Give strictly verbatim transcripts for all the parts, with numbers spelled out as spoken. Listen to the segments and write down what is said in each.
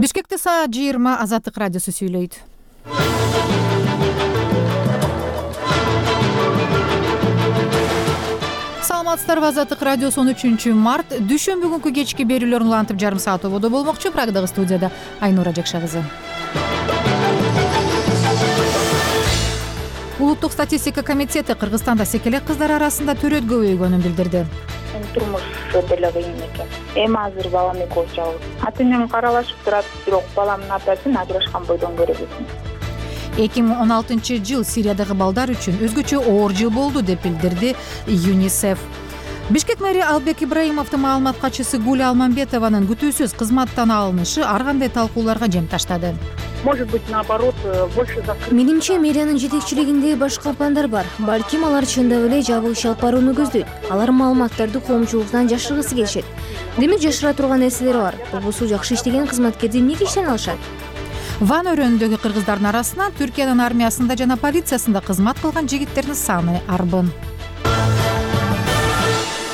Бишкекте саат жыйырма Азаттык радиосу сүйлөйт. Саламатсыздарбы, Азаттык радиосу он үчүнчү март дүшүмбү күнкү кечки берүүлөрүн улантып жарым саат ободо болмокчу. Прагдагы студияда Айнура Жакша кызы. Улуттук статистика комитети Кыргызстанда секелек кыздар арасында төрөт көбөйгөнүн билдирди. Турмуш өтө кыйын экен. Эми азыр балам экөөбүз жалгыз. Ата-энем каралашып турат, бирок баламдын атасын ажырашкан бойдон көрөбүз. эки миң он алтынчы жыл Сириядагы балдар үчүн өзгөчө оор жыл болду деп билдирди ЮНИСЕФ. Бишкек мэри Албек Ибраимовдун маалымат катчысы Гуля Алмамбетованын күтүүсүз кызматтан алынышы ар кандай талкууларга жем таштады. Может быть, наоборот, больше закрыт. Менимче, мэриянын жетекчилигинде башка пландар бар. Балким алар чындап эле жабык иш алып барууну көздөйт. Алар маалыматтарды коомчулуктан жашыргысы келишет. Демек жашыра турган нерселер бар. Болбосо жакшы иштеген кызматкерди эмнеге иштен алышат? Ван өрөөнүндөгү кыргыздардын арасынан Түркиянын армиясында жана полициясында кызмат кылган жигиттердин саны арбын.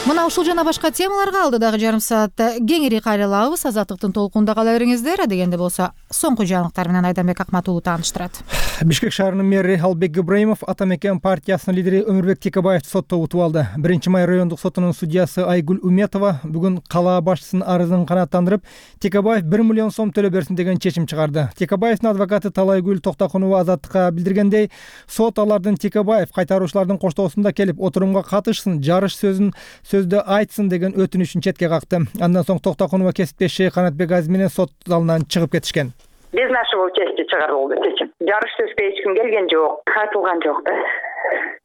Мына ушул жана башка темаларга алдыдагы жарым саатта кеңири кайрылабыз. Азаттыктын толкунда кала бериңиздер. Дегенде болсо соңку жаңылыктар менен Айданбек Акматулуу тааныштырат. Бишкек шаарынын мэри Албек Ибраимов Ата мекен партиясынын лидери Өмүрбек Текебаевди сотто утуп алды. биринчи май райондук сотунун судьясы Айгүл Уметова бүгүн кала башчысынын арызын канааттандырып, Текебаев бир миллион сом төлөп берсин деген чечим чыгарды. Текебаевдин адвокаты Талайгүл Токтокунова Азаттыкка билдиргендей, сот алардын Текебаев кайтаруучулардын коштоосунда келип отурумга катышсын, жарыш сөзүн сөздө айтсын деген өтүнүшүн четке какты. Андан соң Токтокунова кесиптеши Канатбек Азиз менен сот залынан чыгып кетишкен. Без нашего участия чыгарылды чечим. Жарыш сөзгө эч ким келген жок, айтылган жок да.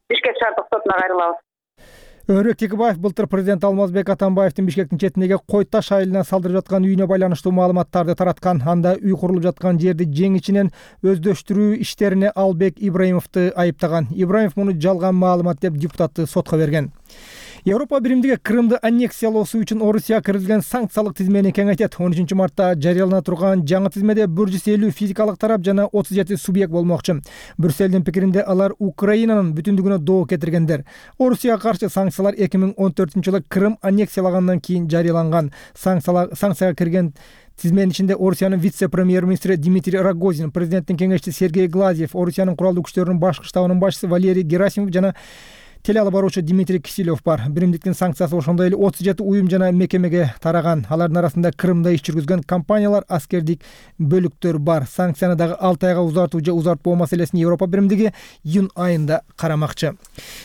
Бишкек шаардык сотуна кайрылабыз. Өмүрбек Текебаев былтыр президент Алмазбек Атамбаевдин Бишкектин четиндеги Кой Таш айылына салдырып жаткан үйүнө байланыштуу маалыматтарды тараткан. Анда үй курулуп жаткан жерди жең ичинен өздөштүрүү иштерине Албек Ибраимовду айыптаган. Ибраимов муну жалган маалымат деп депутатты сотко берген. Европа биримдиги Крымды аннексиялоосу үчүн Орусияга киргизилген санкциялык тизмени кеңейтет. он үчүнчү мартта жарыялана турган жаңы тизмеде бир жүз элүү физикалык тарап жана отуз жети субъект болмокчу. Брюссельдин пикиринде алар Украинанын бүтүндүгүнө доо кетиргендер. Орусияга каршы санкциялар эки миң он төртүнчү жылы Крым аннексиялагандан кийин жарыяланган. Санкцияга кирген тизменин ичинде Орусиянын вице-премьер-министри Дмитрий Рогозин, президенттин кеңешчиси Сергей Глазьев, Орусиянын куралдуу күчтөрүнүн башкы штабынын башчысы Валерий Герасимов жана телеалып баруучу Дмитрий Киселев бар. Биримдиктин санкциясы ошондой эле отуз жети уюм жана мекемеге тараган. Алардын арасында Крымда иш жүргүзгөн компаниялар, аскердик бөлүктөр бар. Санкцияны дагы алты айга узартуу же узартпоо маселесин Европа биримдиги июнь айында карамакчы.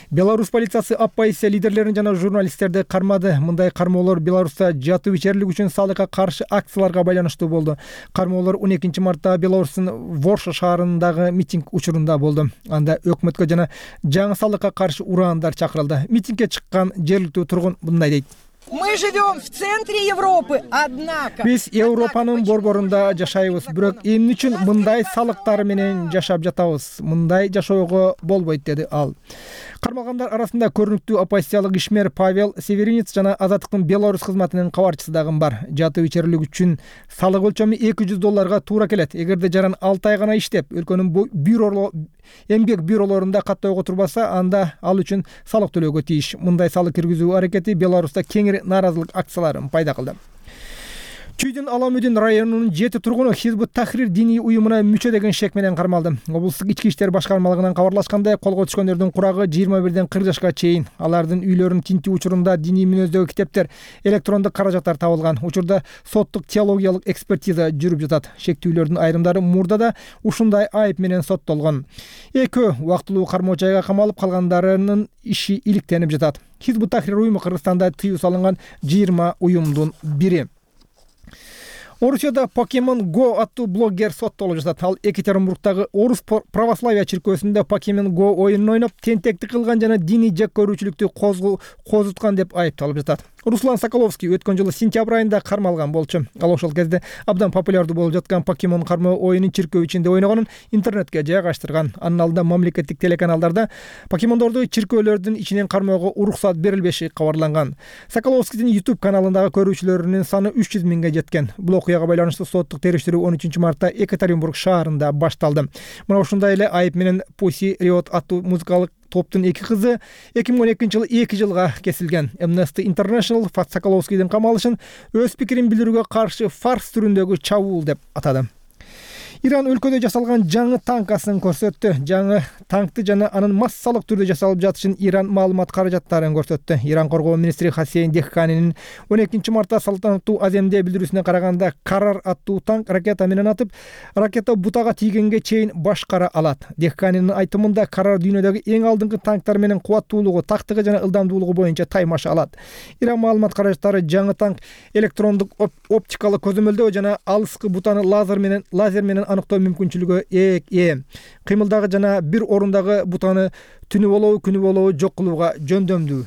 Беларусь полициясы оппозиция лидерлерин жана журналисттерди кармады. Мындай кармоолор Беларуста жатуу ичерилик үчүн салыкка каршы акцияларга байланыштуу болду. Кармоолор он экинчи мартта Беларустун Ворша шаарындагы митинг учурунда болду. Анда өкмөткө жана жаңы салыкка каршы ураандар чакырылды. Митингге чыккан жергиликтүү тургун мындай дейт. Мы живем в центре Европы, однако. Биз Европанын борборунда жашайбыз, бирок эмне үчүн мындай салыктар менен жашап жатабыз? Мындай жашоого болбойт, деди ал. Кармалгандар арасында көрүнүктүү оппозициялык ишмер Павел Северинец жана Азаттыктын Беларусь кызматынын кабарчысы дагы бар. Жатуу ичерилик үчүн салык өлчөмү эки жүз долларга туура келет. Эгерде жаран алты ай гана иштеп, өлкөнүн бюро эмгек бюролорунда каттоого турбаса, анда ал үчүн салык төлөөгө тийиш. Мындай салык киргизүү аракети Беларуста кеңири нааразылык акцияларын пайда кылды. Чүйдүн Аламүдүн районунун жети тургуну Хизбут Тахрир диний уюмуна мүчө деген шек менен кармалды. Облустук ички иштер башкармалыгынан кабарлашкандай, колго түшкөндөрдүн курагы жыйырма бирден кырк жашка чейин. Алардын үйлөрүн тинтүү учурунда диний мүнөздөгү китептер, электрондук каражаттар табылган. Учурда соттук теологиялык экспертиза жүрүп жатат. Шектүүлөрдүн айрымдары мурда да ушундай айып менен соттолгон. Экөө убактылуу кармоо жайга камалып, калгандарынын иши иликтенип жатат. Хизбут Тахрир уюму Кыргызстанда тыюу салынган жыйырма уюмдун бири. Орусияда Pokemon Go аттуу блогер соттолуп жатат. Ал Екатеринбургдагы Орус православия чиркөөсүндө Pokemon Go оюнун ойноп, тентектик кылган жана диний жек көрүүчүлүктү козуткан деп айыпталып жатат. Руслан Соколовский өткөн жылы сентябрь айында кармалган болчу. Ал ошол кезде абдан популярдуу болуп жаткан Pokemon кармоо оюнун чиркөө ичинде ойногонун интернетке жайгаштырган. Анын алдында мамлекеттик телеканалдарда покемондорду чиркөөлөрдүн ичинен кармоого уруксат берилбеши кабарланган. Соколовскийдин YouTube каналындагы көрүүчүлөрүнүн саны үч жүз миңге жеткен. Бул окуяга байланыштуу соттук териштирүү он үчүнчү мартта Екатеринбург шаарында башталды. Мына ушундай эле айып менен Pussy Riot аттуу музыкалык топтун эки кызы эки миң он экинчи жылы эки жылга кесилген. Amnesty International Соколовскийдин камалышын өз пикирин билдирүүгө каршы фарс түрүндөгү чабуул деп атады. Иран өлкөдө жасалган жаңы танкасын көрсөттү. Жаңы танкты жана анын массалык түрдө жасалып жатышын Иран маалымат каражаттарын көрсөттү. Иран коргоо министри Хасейн Дехканинин он экинчи мартта салтанаттуу аземде билдирүүсүнө караганда, Карар аттуу танк ракета менен атып, ракета бутага тийгенге чейин башкара алат. Дехканинин айтымында, Карар дүйнөдөгү эң алдыңкы танктар менен кубаттуулугу, тактыгы жана ылдамдуулугу боюнча таймаша алат. Иран маалымат каражаттары жаңы танк электрондук оптикалык көзөмөлдөө жана алыскы бутаны лазер менен лазер менен аныктоо мүмкүнчүлүгү ээ. Кыймылдагы жана бир орундагы бутаны түнү болобу, күнү болобу жок кылууга жөндөмдүү.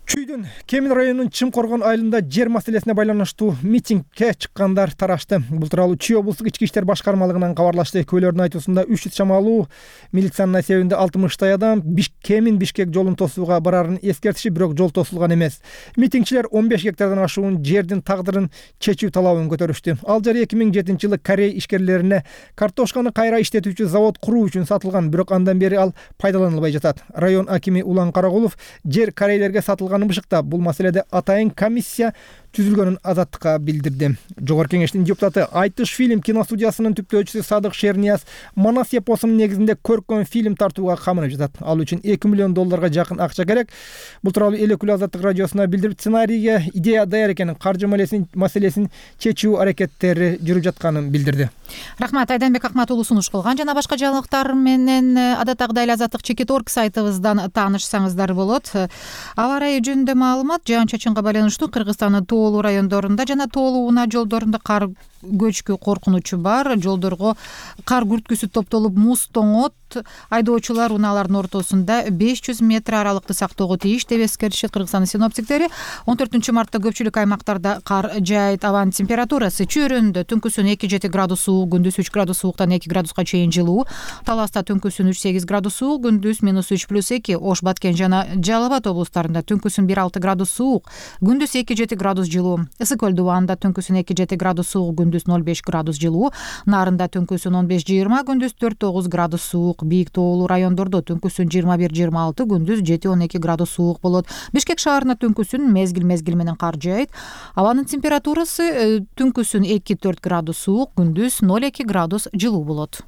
Чүйдүн Кемин районунун Чымкоргон айылында жер маселесине байланыштуу митингге чыккандар тарашты. Бул тууралуу Чүй облустук ички иштер башкармалыгынан кабарлашты. Көйлөрдүн айтуусунда үч жүз чамалуу милициянын эсебинде алтымыштай адам Кемин Бишкек жолун тосууга барарын эскертиши, бирок жол тосулган эмес. Митингчилер он беш гектардан ашуун жердин тагдырын чечүү талабын көтөрүштү. Ал жер эки миң жетинчи жылы Корей ишкерлерине картошканы кайра иштетүүчү завод куруу үчүн сатылган, бирок андан бери ал пайдаланылбай жатат. Район акими Улан Карагулов жер корейлерге сатылган бышыкта бул маселеде атайын комиссия түзүлгөнүн Азаттыкка билдирди. Жогорку кеңештин депутаты Айтыш фильм киностудиясынын түптөөчүсү Садык Шернияз Манас эпосунун негизинде көркөм фильм тартууга камынып жатат. Ал үчүн эки миллион долларга жакын акча керек. Бул тууралуу эл өкүлү Азаттык радиосуна билдирип, сценарийге идея даяр экенин, каржы маселесин чечүү аракеттери жүрүп жатканын билдирди. Рахмат, Айданбек Акмат уулу сунуш кылган. Жана башка жаңылыктар менен адаттагыдай эле Азаттык чекит орг сайтыбыздан таанышсаңыздар болот. Аба ырайы жөнүндө маалымат: жаан-чачынга байланыштуу Кыргызстандын тоолуу райондорунда жана тоолуу унаа жолдорунда кар көчкү коркунучу бар. Жолдорго кар күрткүсү топтолуп муз тоңот. Айдоочулар унаалардын ортосунда беш жүз метр аралыкты сактоого тийиш деп эскертишет Кыргызстандын синоптиктери. он төртүнчү мартта көпчүлүк аймактарда кар жаайт. Абанын температурасы чөйрөндө түнкүсүн эки жети градус суук, күндүз үч градус сууктан эки градуска чейин жылуу. Таласта түнкүсүн үч сегиз градус суук, күндүз минус үч плюс эки. Ош, Баткен жана Жалал Абад облустарында түнкүсүн бир алты градус суук, күндүз эки жети градус жылуу. Ысык көл дубаанда түнкүсүн эки жети градус суук, күндүз ноль беш градус жылуу. Нарында түнкүсүн он беш жыйырма, күндүз төрт тогуз градус суук. Бийик тоолуу райондордо түнкүсүн жыйырма бир жыйырма алты, күндүз жети он эки градус суук болот. Бишкек шаарында түнкүсүн мезгил-мезгил менен кар жаайт. Абанын температурасы түнкүсүн эки төрт градус суук, күндүз ноль эки градус жылуу болот.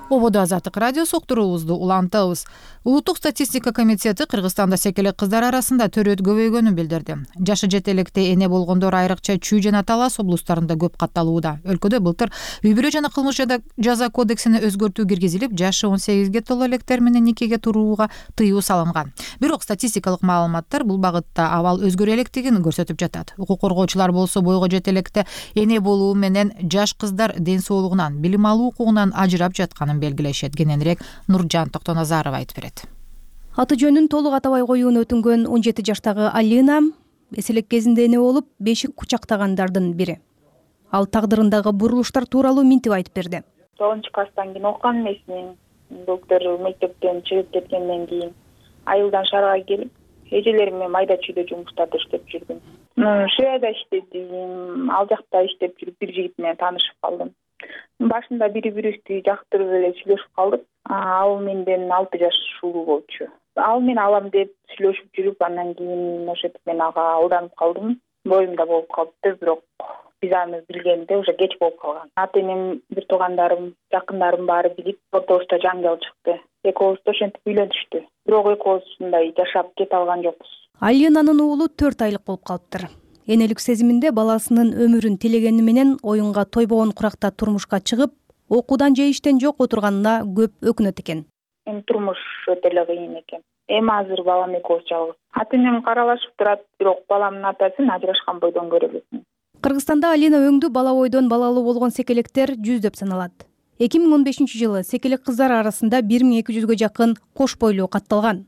Ободо Азаттык радиосу уктуруубузду улантабыз. Улуттук статистика комитети Кыргызстанда секелек кыздар арасында төрөт көбөйгөнүн билдирди. Жашы жетелекте эне болгондор айрыкча Чүй жана Талас облустарында көп катталууда. Өлкөдө былтыр үй бүлө жана кылмыш жаза кодексине өзгөртүү киргизилип, жашы он сегизге толо электер менен никеге турууга тыюу салынган. Бирок статистикалык маалыматтар бул багытта абал өзгөрө электигин көрсөтүп жатат. Укук коргоочулар болсо бойго жетелекте эне болуу менен жаш кыздар ден соолугунан, билим алуу укугунан ажырап жатканын белгилешет. Кененирээк Нуржан Токтоназаров айтып берет. Аты жөнүн толук атабай коюуну өтүнгөн он жети жаштагы Алина эселек кезинде эне болуп, бешик кучактагандардын бири. Ал тагдырындагы бурулуштар тууралуу минтип айтып берди. тогузунчу класстан кийин окуган эмесмин. Доктор мектептен чыгып кеткенден кийин айылдан шаарга келип, эжелерим менен майда чүйдө жумуштарда иштеп жүрдүм. Швеяда иштедим, ал жакта иштеп жүрүп бир жигит менен таанышып калдым. Башында бири бирибизди жактырып эле сүйлөшүп калдык. Ал менден алты жаш улуу болчу. Ал мен алам деп сүйлөшүп жүрүп, андан кийин ошентип мен ага алданып калдым. Боюмда болуп калыптыр, бирок биз аны билгенде уже кеч болуп калган. Ата энем, бир туугандарым, жакындарым баары билип, ортобузда жаңжал чыкты. Экөөбүз ошентип үйлөнүштү. Бирок экөөбүз мындай жашап кете алган жокпуз. Алинанын уулу төрт айлык болуп калыптыр. Энелик сезиминде баласынын өмүрүн тилегени менен оюнга тойбогон куракта турмушка чыгып, окуудан же иштен жок отурганына көп өкүнөт экен. Эми турмуш өтө эле кыйын экен. Эми азыр балам экөөбүз жалгыз. Ата энем каралашып турат, бирок баламдын атасын ажырашкан бойдон көрө элесиң. Кыргызстанда Алина өңдүү бала бойдон балалуу болгон секелектер жүздөп саналат. эки миң он бешинчи жылы секелек кыздар арасында бир миң эки жүзгө жакын кош бойлуу катталган.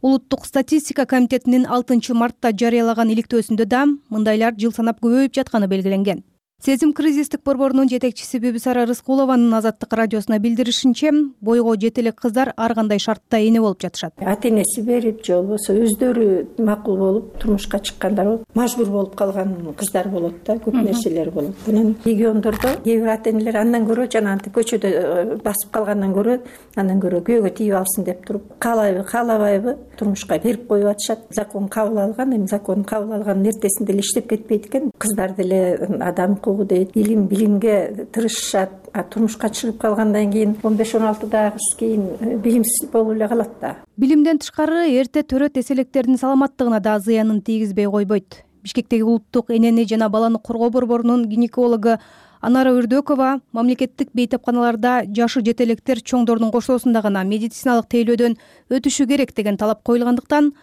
Улуттук статистика комитетинин алтынчы мартта жарыялаган иликтөөсүндө да мындайлар жыл санап көбөйүп жатканы белгиленген. Сезим кризистик борборунун жетекчиси Бүбүсара Рыскулованын Азаттык радиосуна билдиришинче, бойго жете элек кыздар ар кандай шартта эне болуп жатышат. Ата энеси берип же болбосо өздөрү макул болуп турмушка чыккандар болуп, мажбур болуп калган кыздар болот да, көп нерселер болот. Анан региондордо кээ бир ата энелер андан көрө жанагынтип көчөдө басып калгандан көрө андан көрө күйөөгө тийип алсын деп туруп, каалайбы каалабайбы турмушка берип коюп атышат. Закон кабыл алган, эми закон кабыл алганын эртесинде эле иштеп кетпейт экен. Кыздар деле адам дейт, илим билимге тырышышат, а турмушка чыгып калгандан кийин он беш он алтыда кыз кийин билимсиз болуп эле калат да. Билимден тышкары эрте төрөт эселектердин саламаттыгына да зыянын тийгизбей койбойт. Бишкектеги улуттук энени жана баланы коргоо борборунун гинекологу Анара Үрдөкова мамлекеттик бейтапканаларда жашы жете электер чоңдордун кошулуусунда гана медициналык тейлөөдөн өтүшү керек деген талап коюлгандыктан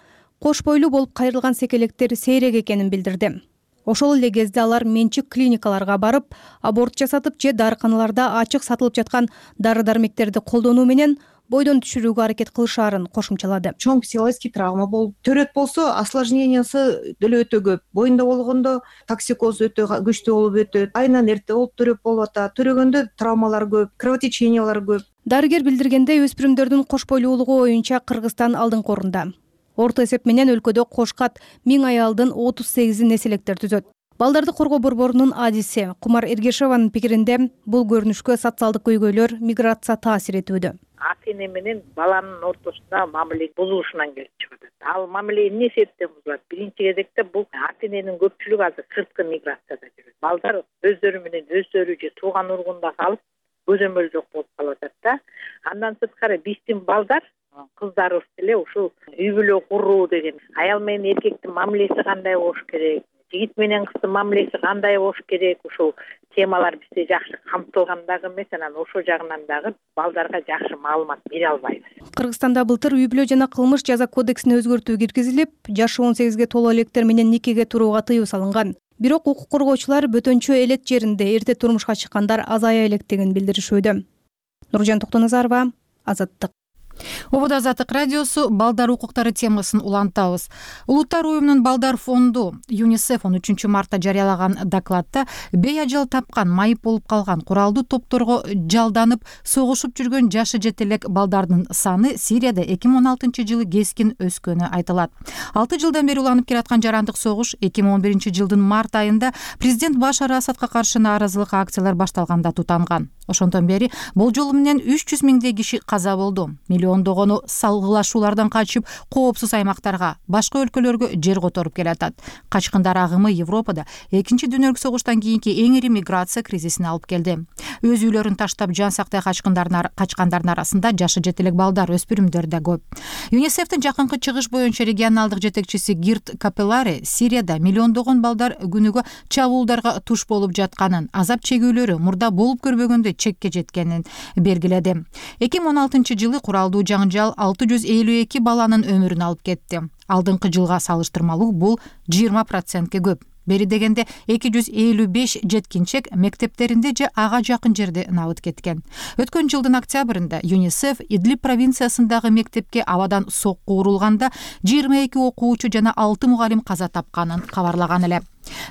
кош бойлуу болуп кайрылган секелектер сейрек экенин билдирди. Ошол эле кезде алар менчик клиникаларга барып, аборт жасатып же дарыканаларда ачык сатылып жаткан дары-дармектерди колдонуу менен бойдон түшүрүүгө аракет кылышаарын кошумчалады. Чоң психологический травма болуп, төрөт болсо осложнениясы деле өтө көп. Боюнда болгондо токсикоз өтө күчтүү болуп өтөт. Айынан эрте болуп төрөп болуп атат. Төрөгөндө травмалар көп, кровотечениялар көп. Дарыгер билдиргенде өспүрүмдөрдүн кош бойлуулугу боюнча Кыргызстан алдыңкы орунда. Орто эсеп менен өлкөдө кошкат миң аялдын отуз сегизи неселектер түзөт. Балдарды коргоо борборунун адиси Кумар Эргешеванын пикиринде бул көрүнүшкө социалдык көйгөйлөр, миграция таасир этүүдө. Ата эне менен баланын ортосунда мамиле бузулушунан келип чыгат. Ал мамиле эмне себептен бузулат? Биринчи кезекте бул ата эненин көпчүлүгү азыр сырткы миграцияда жүрөт. Балдар өздөрү менен өздөрү же тууган ургунда калып, көзөмөл жок болуп калып атат да. Андан сырткары биздин балдар кыздарыбыз деле ушул үй бүлө куруу деген, аял менен эркектин мамилеси кандай болуш керек, жигит менен кыздын мамилеси кандай болуш керек, ушул темалар бизде жакшы камтылган дагы эмес, анан ошол жагынан дагы балдарга жакшы маалымат бере албайбыз. Кыргызстанда былтыр үй бүлө жана кылмыш жаза кодексине өзгөртүү киргизилип, жашы он сегизге толо электер менен никеге турууга тыюу салынган. Бирок укук коргоочулар бөтөнчө элет жеринде эрте турмушка чыккандар азая электигин билдиришүүдө. Нуржан Токтоназарова, Азаттык. Обода Азаттык радиосу балдар укуктары темасын улантабыз. Улуттар уюмунун балдар фонду ЮНИСЕФ он үчүнчү мартта жарыялаган докладта бейажал тапкан, майып болуп калган, куралдуу топторго жалданып согушуп жүргөн жашы жете элек балдардын саны Сирияда эки миң он алтынчы жылы кескин өскөнү айтылат. алты жылдан бери уланып келаткан жарандык согуш эки миң он биринчи жылдын март айында президент Башар Асадка каршы нааразылык акциялар башталганда тутанган. Ошондон бери болжолу менен үч жүз миңдей киши каза болду. Миллиондогону салгылашуулардан качып, коопсуз аймактарга, башка өлкөлөргө жер которуп келатат. Качкындар агымы Европада экинчи дүйнөлүк согуштан кийинки эң ири миграция кризисине алып келди. Өз үйлөрүн таштап жан сактай качкандардын арасында жашы жете элек балдар, өспүрүмдөр да көп. ЮНИСЕФтин жакынкы чыгыш боюнча регионалдык жетекчиси Гирт Капеллари Сирияда миллиондогон балдар күнүгө чабуулдарга туш болуп жатканын, азап чегүүлөрү мурда болуп көрбөгөндө чекке жеткенин бергиледи. эки миң он алтынчы жылы куралдуу жаңжал алты жүз элүү эки баланын өмүрүн алып кетти. Алдыңкы жылга салыштырмалуу бул жыйырма процентке көп. Бери дегенде эки жүз элүү беш жеткинчек мектептеринде же ага жакын жерде набыт кеткен. Өткөн жылдын октябрында ЮНИСЕФ Идлиб провинциясындагы мектепке абадан сокку урулганда жыйырма эки окуучу жана алты мугалим каза тапканын кабарлаган эле.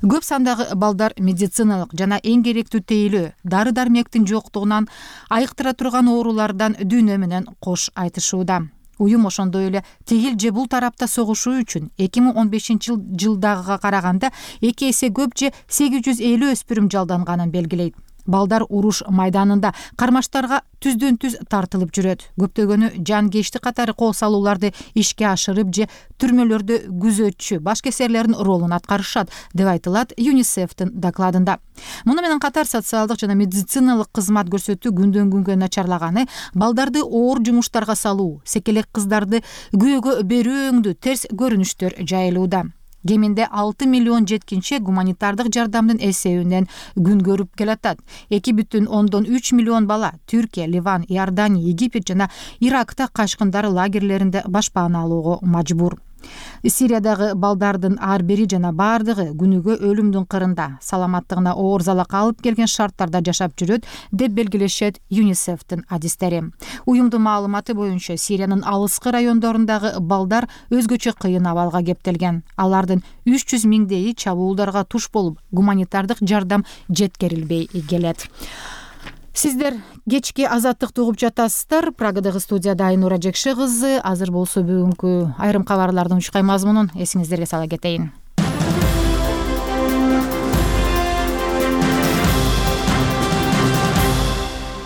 Көп сандагы балдар медициналык жана эң керектүү тейлөө, дары-дармектин жоктугунан айыктыра турган оорулардан дүйнө менен кош айтышууда. Уюм ошондой эле тигил же бул тарапта согушуу үчүн эки миң он бешинчи жылдагыга караганда эки эсе көп же сегиз жүз элүү өспүрүм жалданганын белгилейт. Балдар уруш майданында кармаштарга түздөн түз тартылып жүрөт. Көптөгөнү жанкечтик катары кол салууларды ишке ашырып же түрмөлөрдө күзөтчү, башкесерлердин ролун аткарышат, деп айтылат ЮНИСЕФтин докладында. Муну менен катар социалдык жана медициналык кызмат көрсөтүү күндөн күнгө начарлаганы, балдарды оор жумуштарга салуу, секелек кыздарды күйөөгө берүүңдүү терс көрүнүштөр жайылууда. Кеминде алты миллион жеткинчек гуманитардык жардамдын эсебинен күн көрүп келатат. эки бүтүн ондон үч миллион бала Түркия, Ливан, Иордания, Египет жана Иракта качкындар лагерлеринде башпаана алууга мажбур. Сириядагы балдардын ар бири жана баардыгы күнүгө өлүмдүн кырында, саламаттыгына оор залак алып келген шарттарда жашап жүрөт деп белгилешет ЮНИСЕФтин адистери. Уюмдун маалыматы боюнча Сириянын алыскы райондорундагы балдар өзгөчө кыйын абалга кептелген. Алардын үч жүз миңдейи чабуулдарга туш болуп, гуманитардык жардам жеткирилбей келет. Сиздер кечки Азаттыкты угуп жатасыздар. Прагадагы студияда Айнура Жекше кызы. Азыр болсо бүгүнкү айрым кабарлардын учкай мазмунун эсиңиздерге сала кетейин.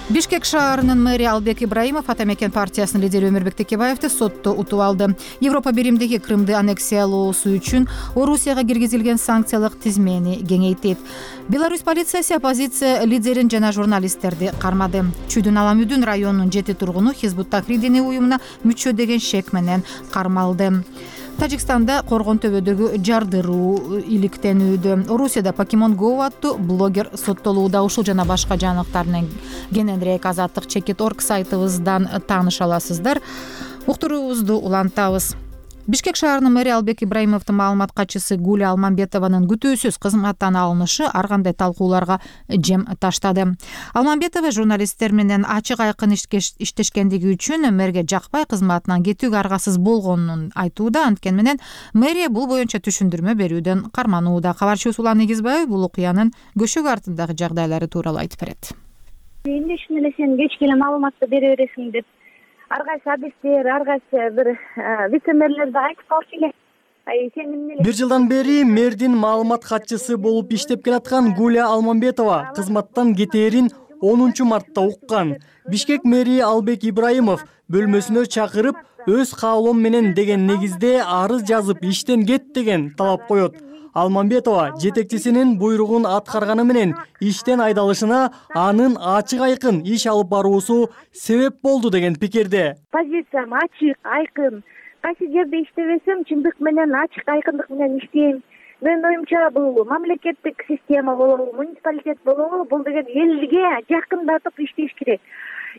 Бишкек шаарынын мэри Албек Ибраимов Ата мекен партиясынын лидери Өмүрбек Текебаевди сотто утуп алды. Европа биримдиги Крымды аннексиялоосу үчүн Орусияга киргизилген санкциялык тизмени кеңейтет. Беларусь полициясы оппозиция лидерин жана журналисттерди кармады. Чүйдүн Аламүдүн районунун жети тургуну Хизбут Тахрир диний уюмуна мүчө деген шек менен кармалды. Тажикстанда Коргон төбөдөгү жардыруу иликтенүүдө. Орусияда Покемon Go аттуу блогер соттолууда. Ушул жана башка жаңылыктар менен кененирээк Азаттык чекит точка орг сайтыбыздан тааныша аласыздар. Уктуруубузду улантабыз. Бишкек шаарынын мэри Албек Ибраимовдун маалымат катчысы Гуля Алмамбетованын күтүүсүз кызматтан алынышы ар кандай талкууларга жем таштады. Алмамбетова журналисттер менен ачык айкын иштешкендиги үчүн мэрге жакпай кызматынан кетүүгө аргасыз болгонун айтууда. Анткени менен мэрия бул боюнча түшүндүрмө берүүдөн карманууда. Кабарчыбыз Улан Негизбаев бул окуянын көшөк артындагы жагдайлары тууралуу айтып берет. Эмне үчүн эле сен кечке эле маалыматты бере бересиң деп ар кайсы адистер, ар кайсы бир вице-мэрлерди айтып калчу эле. Сен эмне эле бир жылдан бери мэрдин маалымат катчысы болуп иштеп келаткан Гуля Алмамбетова кызматтан кетээрин онунчу мартта уккан. Бишкек мэри Албек Ибраимов бөлмөсүнө чакырып, өз каалоом менен деген негизде арыз жазып иштен кет деген талап коет. Алмамбетова жетекчисинин буйругун аткарганы менен иштен айдалышына анын ачык айкын иш алып баруусу себеп болду деген пикирде. Позициям ачык, айкын. Кайсы жерде иштебесем, чындык менен ачык айкындык менен иштейм. Менин оюмча бул мамлекеттик система болобу, муниципалитет болобу, бул деген элге жакындатып иштеш керек.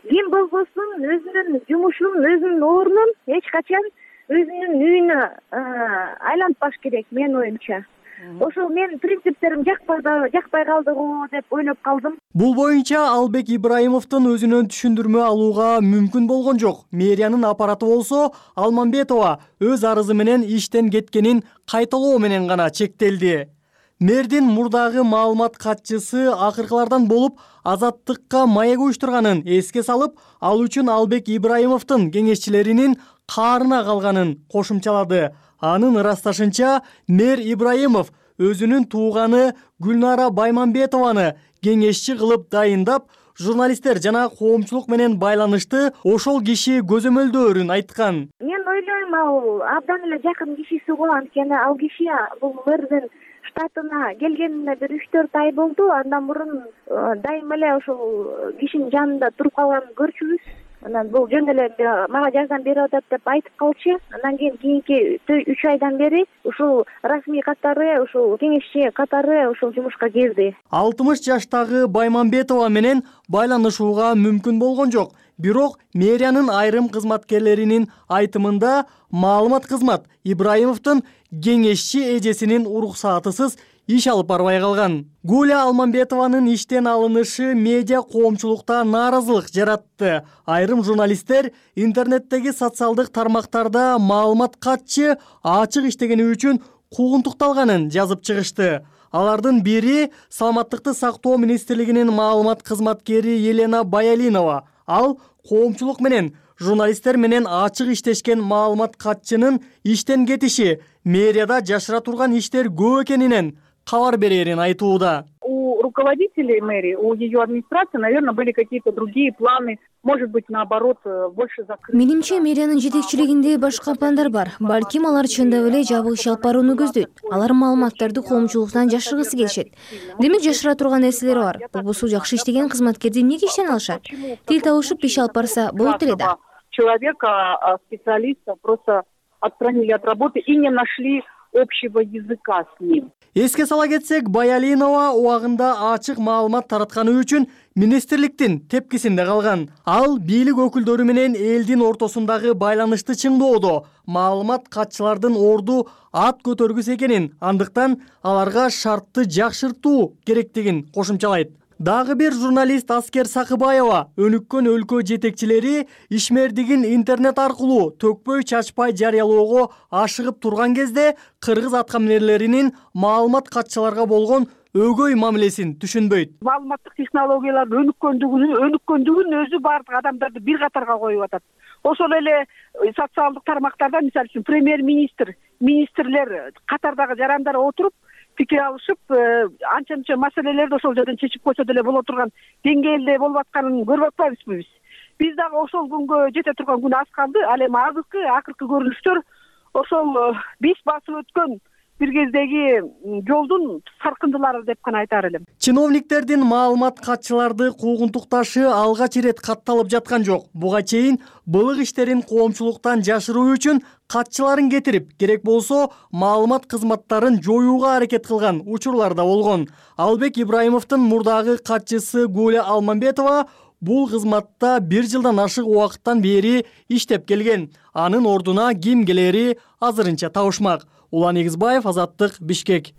Ким болбосун өзүнүн жумушун, өзүнүн ордун эч качан өзүнүн үйүнө айлантпаш керек менин оюмча. Ошол менин принциптерим жакпай жакпай калды го деп ойлоп калдым. Бул боюнча Албек Ибраимовдун өзүнөн түшүндүрмө алууга мүмкүн болгон жок. Мэриянын аппараты болсо Алмамбетова өз арызы менен иштен кеткенин кайталоо менен гана чектелди. Мэрдин мурдагы маалымат катчысы акыркылардан болуп Азаттыкка маек уюштурганын эске салып, ал үчүн Албек Ибраимовдун кеңешчилеринин каарына калганын кошумчалады. Анын ырасташынча, мэр Ибраимов өзүнүн тууганы Гүлнара Баймамбетованы кеңешчи кылып дайындап, журналисттер жана коомчулук менен байланышты ошол киши көзөмөлдөөрүн айткан. Мен ойлойм, ал абдан эле жакын кишиси го, анткени ал киши бул мэрдин штатына келгенине бир үч төрт ай болду. Андан мурун дайыма эле ошол кишинин жанында туруп калганын көрчүбүз. Анан бул жөн эле мага жардам берип атат деп айтып калчу. Андан кийин кийинки үч айдан бери ушул расмий катары, ушул кеңешчи катары ушул жумушка кирди. алтымыш жаштагы Баймамбетова менен байланышууга мүмкүн болгон жок. Бирок мэриянын айрым кызматкерлеринин айтымында маалымат кызмат Ибраимовдун кеңешчи эжесинин уруксаатысыз иш алып барбай калган. Гуля Алмамбетованын иштен алынышы медиа коомчулукта нааразылык жаратты. Айрым журналисттер интернеттеги социалдык тармактарда маалымат катчы ачык иштегени үчүн куугунтукталганын жазып чыгышты. Алардын бири Саламаттыкты сактоо министрлигинин маалымат кызматкери Елена Баялинова. Ал коомчулук менен журналисттер менен ачык иштешкен маалымат катчынын иштен кетиши мэрияда жашыра турган иштер көп экенинен кабар берерин айтууда. У руководителей мэрии, у ее администрации, наверное, были какие-то другие планы, может быть, наоборот, больше закрыть. Менимче, мэриянын жетекчилигинде башка пландар бар. Балким алар чындап эле жабык иш алып барууну көздөйт. Алар маалыматтарды коомчулуктан жашыргысы келишет. Демек жашыра турган нерселери бар. Болбосо жакшы иштеген кызматкерди эмнеге иштен алышат? Тил табышып иш алып барса болот эле да. Человека, специалиста просто отстранили от работы и не нашли общего языка с ним. Эске сала кетсек, Баялинова убагында ачык маалымат таратканы үчүн министрликтин тепкисинде калган. Ал бийлик өкүлдөрү менен элдин ортосундагы байланышты чыңдоодо маалымат катчылардын орду ат көтөргүс экенин, андыктан аларга шартты жакшыртуу керектигин кошумчалайт. Дагы бир журналист Аскер Сакыбаева өнүккөн өлкө жетекчилери ишмердигин интернет аркылуу төкпөй чачпай жарыялоого ашыгып турган кезде кыргыз аткаминерлеринин маалымат катчыларга болгон өгөй мамилесин түшүнбөйт. Маалыматтык технологиялардын өнүккөндүгүн өнүккөндүгүн өзү баардык адамдарды бир катарга коюп атат. Ошол эле социалдык тармактарда, мисалы үчүн, премьер-министр, министрлер катардагы жарандар отуруп пикир алышып, анча мынча маселелерди ошол жерден чечип койсо деле боло турган деңгээлде болуп атканын көрүп атпайбызбы биз? Биз дагы ошол күнгө жете турган күн аз калды. Ал эми азыркы акыркы көрүнүштөр ошол биз басып өткөн бир кездеги жолдун саркындылары деп гана айтар элем. Чиновниктердин маалымат катчыларды куугунтукташы алгач ирет катталып жаткан жок. Буга чейин былык иштерин коомчулуктан жашыруу үчүн катчыларын кетирип, керек болсо маалымат кызматтарын жоюуга аракет кылган учурлар да болгон. Албек Ибраимовдун мурдагы катчысы Гуля Алмамбетова бул кызматта бир жылдан ашык убакыттан бери иштеп келген. Анын ордуна ким келери азырынча табышмак. Улан Эгизбаев, Азаттык, Бишкек.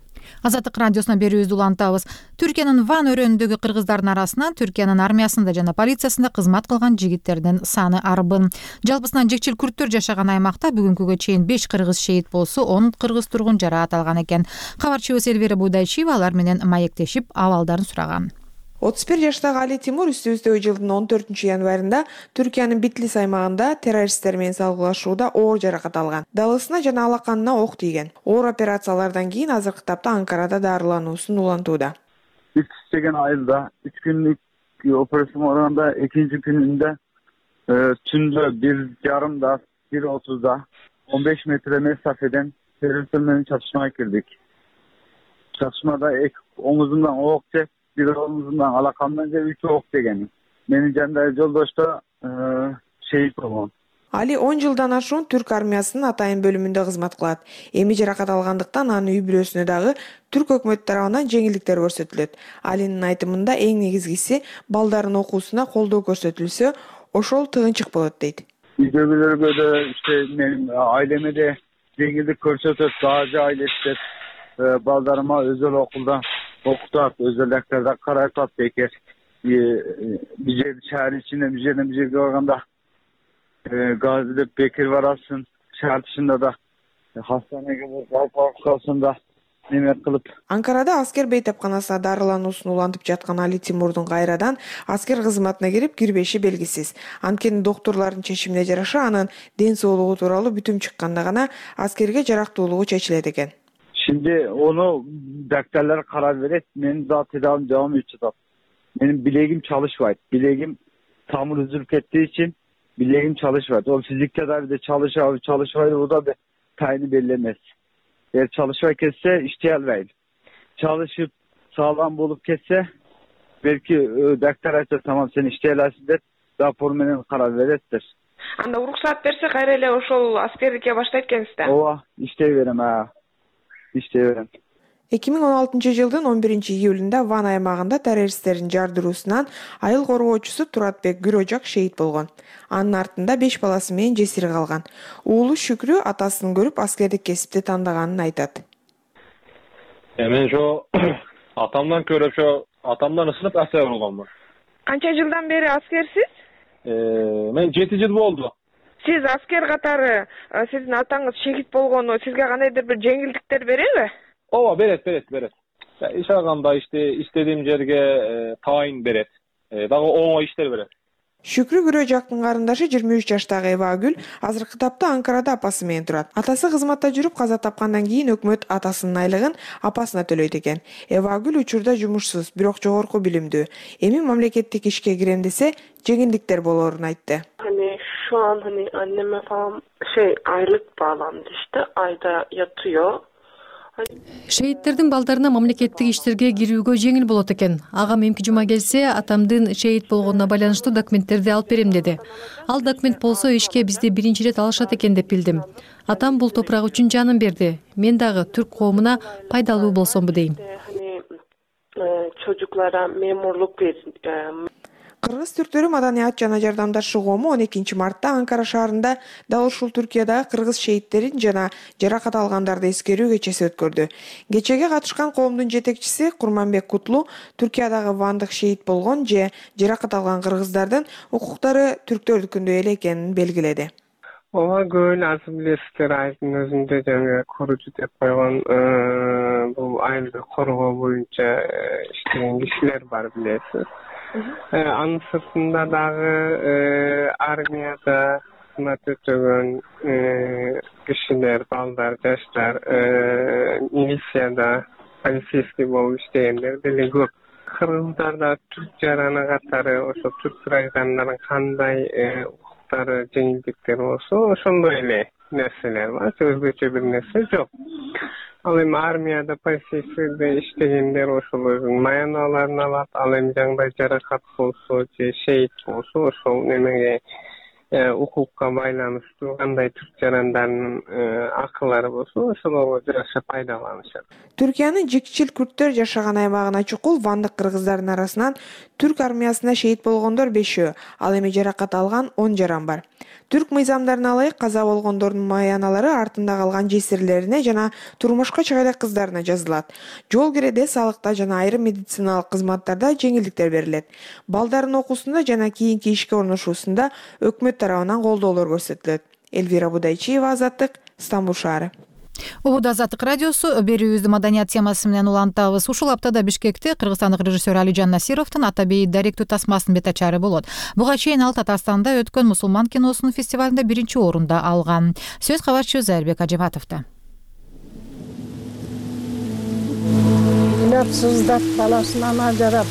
Азаттык радиосуна берүүбүздү улантабыз. Түркиянын Ван өрөөнүндөгү кыргыздардын арасынан Түркиянын армиясында жана полициясында кызмат кылган жигиттердин саны арбын. Жалпысынан жекчил күрттөр жашаган аймакта бүгүнкүгө чейин беш кыргыз шейит болсо, он кыргыз тургун жараат алган экен. Кабарчыбыз Элвира Будайчиева алар менен маектешип, абалдарын сураган. отуз бир жаштагы Али Тимур үстүбүздөгү жылдын он төртүнчү январында Түркиянын Битлис аймагында террористтер менен салгылашууда оор жаракат алган. Далысына жана алаканына ок тийген. Оор операциялардан кийин азыркы тапта Анкарада дарылануусун улантууда. Битлис деген айылда үч күнлүк операция болгондо экинчи күнүндө түндө бир жарымда, бир отузда он беш метр месафеден террористтер менен чатышмага кирдик. Чатышмада оңузумдан ок жеп, бир оңузумдан алакамдан же үч ок деген. Менин жанымдагы жолдош да шейит болгон. Али он жылдан ашуун түрк армиясынын атайын бөлүмүндө кызмат кылат. Эми жаракат алгандыктан анын үй бүлөсүнө дагы түрк өкмөтү тарабынан жеңилдиктер көрсөтүлөт. Алинин айтымында эң негизгиси балдардын окуусуна колдоо көрсөтүлсө, ошол тыгынчык болот дейт. Үйдөгүлөргө да ишte менин айлеме де жеңилдик көрсөтөт, дагы айлештет. Балдарыма өзөл окулда окутат, өзөлдөрдө карайтат бекер. Bir жер шаар ичинде bir жерден bir жерге барганда газ деп бекер барасың. Шаар дышында да хастанеге калсында неме кылып. Анкарада аскер бейтапканасына дарылануусун улантып жаткан Али Тимурдун кайрадан аскер кызматына кирип кирбеши белгисиз. Анткени доктурлардын чечимине жараша анын ден соолугу тууралуу бүтүм чыкканда гана аскерге жарактуулугу чечилет экен. Şimdi onu doktorlar karar verip benim daha tedavim devam edecek. Benim bileğim çalışmaydı. Bileğim tamir üzülüp ettiği için bileğim çalışmaydı. O fizik tedavide çalışıyor, çalışmaydı. O da bir tayini belirlemez. Eğer çalışmayı kesse iştihal verir. Çalışıp sağlam bulup kesse belki doktor aytsa tamam sen iştihal etsin der. Rapor menен karar verettir. Anda уруксат берсе кайра эле ошол аскерликке баштайт экенсиз да? Ооба, иштей берем а. эки миң он алтынчы жылдын он биринчи июлунда Ван аймагында террористтердин жардыруусунан айыл коргоочусу Туратбек Гүрөжак шейит болгон. Анын артында беш баласы менен жесир калган. Уулу Шүкрү атасын көрүп аскердик кесипти тандаганын айтат. Мен ошо атамдан көрүп, ошо атамдан ысынып аскер болгонмун. Канча жылдан бери аскерсиз? Мен жети жыл болду. Сиз аскер катары сиздин атаңыз шейит болгону сизге кандайдыр бир жеңилдиктер береби? Ооба, берет, берет, берет. Иш алганда иште истедиğim жерге тайын берет. Дагы оңой иштер берет. Шүкрү Гүрөжактын карындашы жыйырма үч жаштагы Эвагүл азыркы тапта Анкарада апасы менен турат. Атасы кызматта жүрүп каза тапкандан кийин өкмөт атасынын айлыгын апасына төлөйт экен. Эвагүл учурда жумушсуз, бирок жогорку билимдүү. Эми мамлекеттик ишке кирем десе, жеңилдиктер болоорун айтты. Şu an hani anneme falan şey aylık bağlandı işte ayda yatıyor Шейттердин балдарына мамлекеттик иштерге кирүүгө жеңил болот экен. Агам эмки жума келсе, атамдын шейит болгонуна байланыштуу документтерди алып берем деди. Ал документ болсо ишке бизди биринчи ирет алышат экен деп билдим. Атам бул топурак үчүн жанын берди. Мен дагы түрк коомуна пайдалуу болсомбу дейм. Çocuklara memurluk bir Кыргыз түрктөрү Маданият жана жардамдашуу коому он экинчи мартта Анкара шаарында дал ушул Түркиядагы кыргыз шейттерин жана жаракат алгандарды эскерүү кечеси өткөрдү. Кечеге катышкан коомдун жетекчиси Курманбек Кутлу Түркиядагы вандык шейит болгон же жаракат алган кыргыздардын укуктары түрктөрдүкүндөй эле экенин белгиледи. Ооба көбүн азыр билесиздер, айылдын өзүндө жаңы коручу деп койгон бул айылды коргоо боюнча иштеген кишилер бар, билесиз. Анын сыртында дагы армияда кызмат өтөгөн кишилер, балдар, жаштар, милицияда полицейский болуп иштегендер деле көп. Кыргыздарда түрк жараны катары ошо түрк граждандарынын кандай укуктары, жеңилдиктер болсо, ошондой эле нерселер бар, өзгөчө бир нерсе жок. Ал эми армияда, полицейскийде иштегендер ошол өзүнүн маяналарын алат. Ал эми жандай жаракат болсо же шейит болсо, ошол немеге укукка байланыштуу кандай түрк жарандарынын акылары болсо, ошолорго жараша пайдаланышат. Түркиянын жикчил күрттөр жашаган аймагына чукул вандык кыргыздарынын арасынан түрк армиясына шейит болгондор бешөө, ал эми жаракат алган он жаран бар. Түрк мыйзамдарына ылайык каза болгондордун маяналары артында калган жесирлерине жана турмушка чыга элек кыздарына жазылат. Жол киреде, салыкта жана айрым медициналык кызматтарда жеңилдиктер берилет. Балдардын окуусунда жана кийинки ишке орношуусунда өкмөт тарабынан колдоолор көрсөтүлөт. Элвира Будайчиева, Азаттык, Стамбул шаары. Убуд Азаттык радиосу берүүбүздү маданият темасы менен улантабыз. Ушул аптада Бишкекте кыргызстандык режиссер Алижан Насировдун Ата бейит даректүү тасмасынын бет ачары болот. Буга чейин ал Татарстанда өткөн мусулман киносунун фестивалында биринчи орунда алган. Сөз кабарчы Зайырбек Ажыбатовдо. Сыздап баласынан ажырап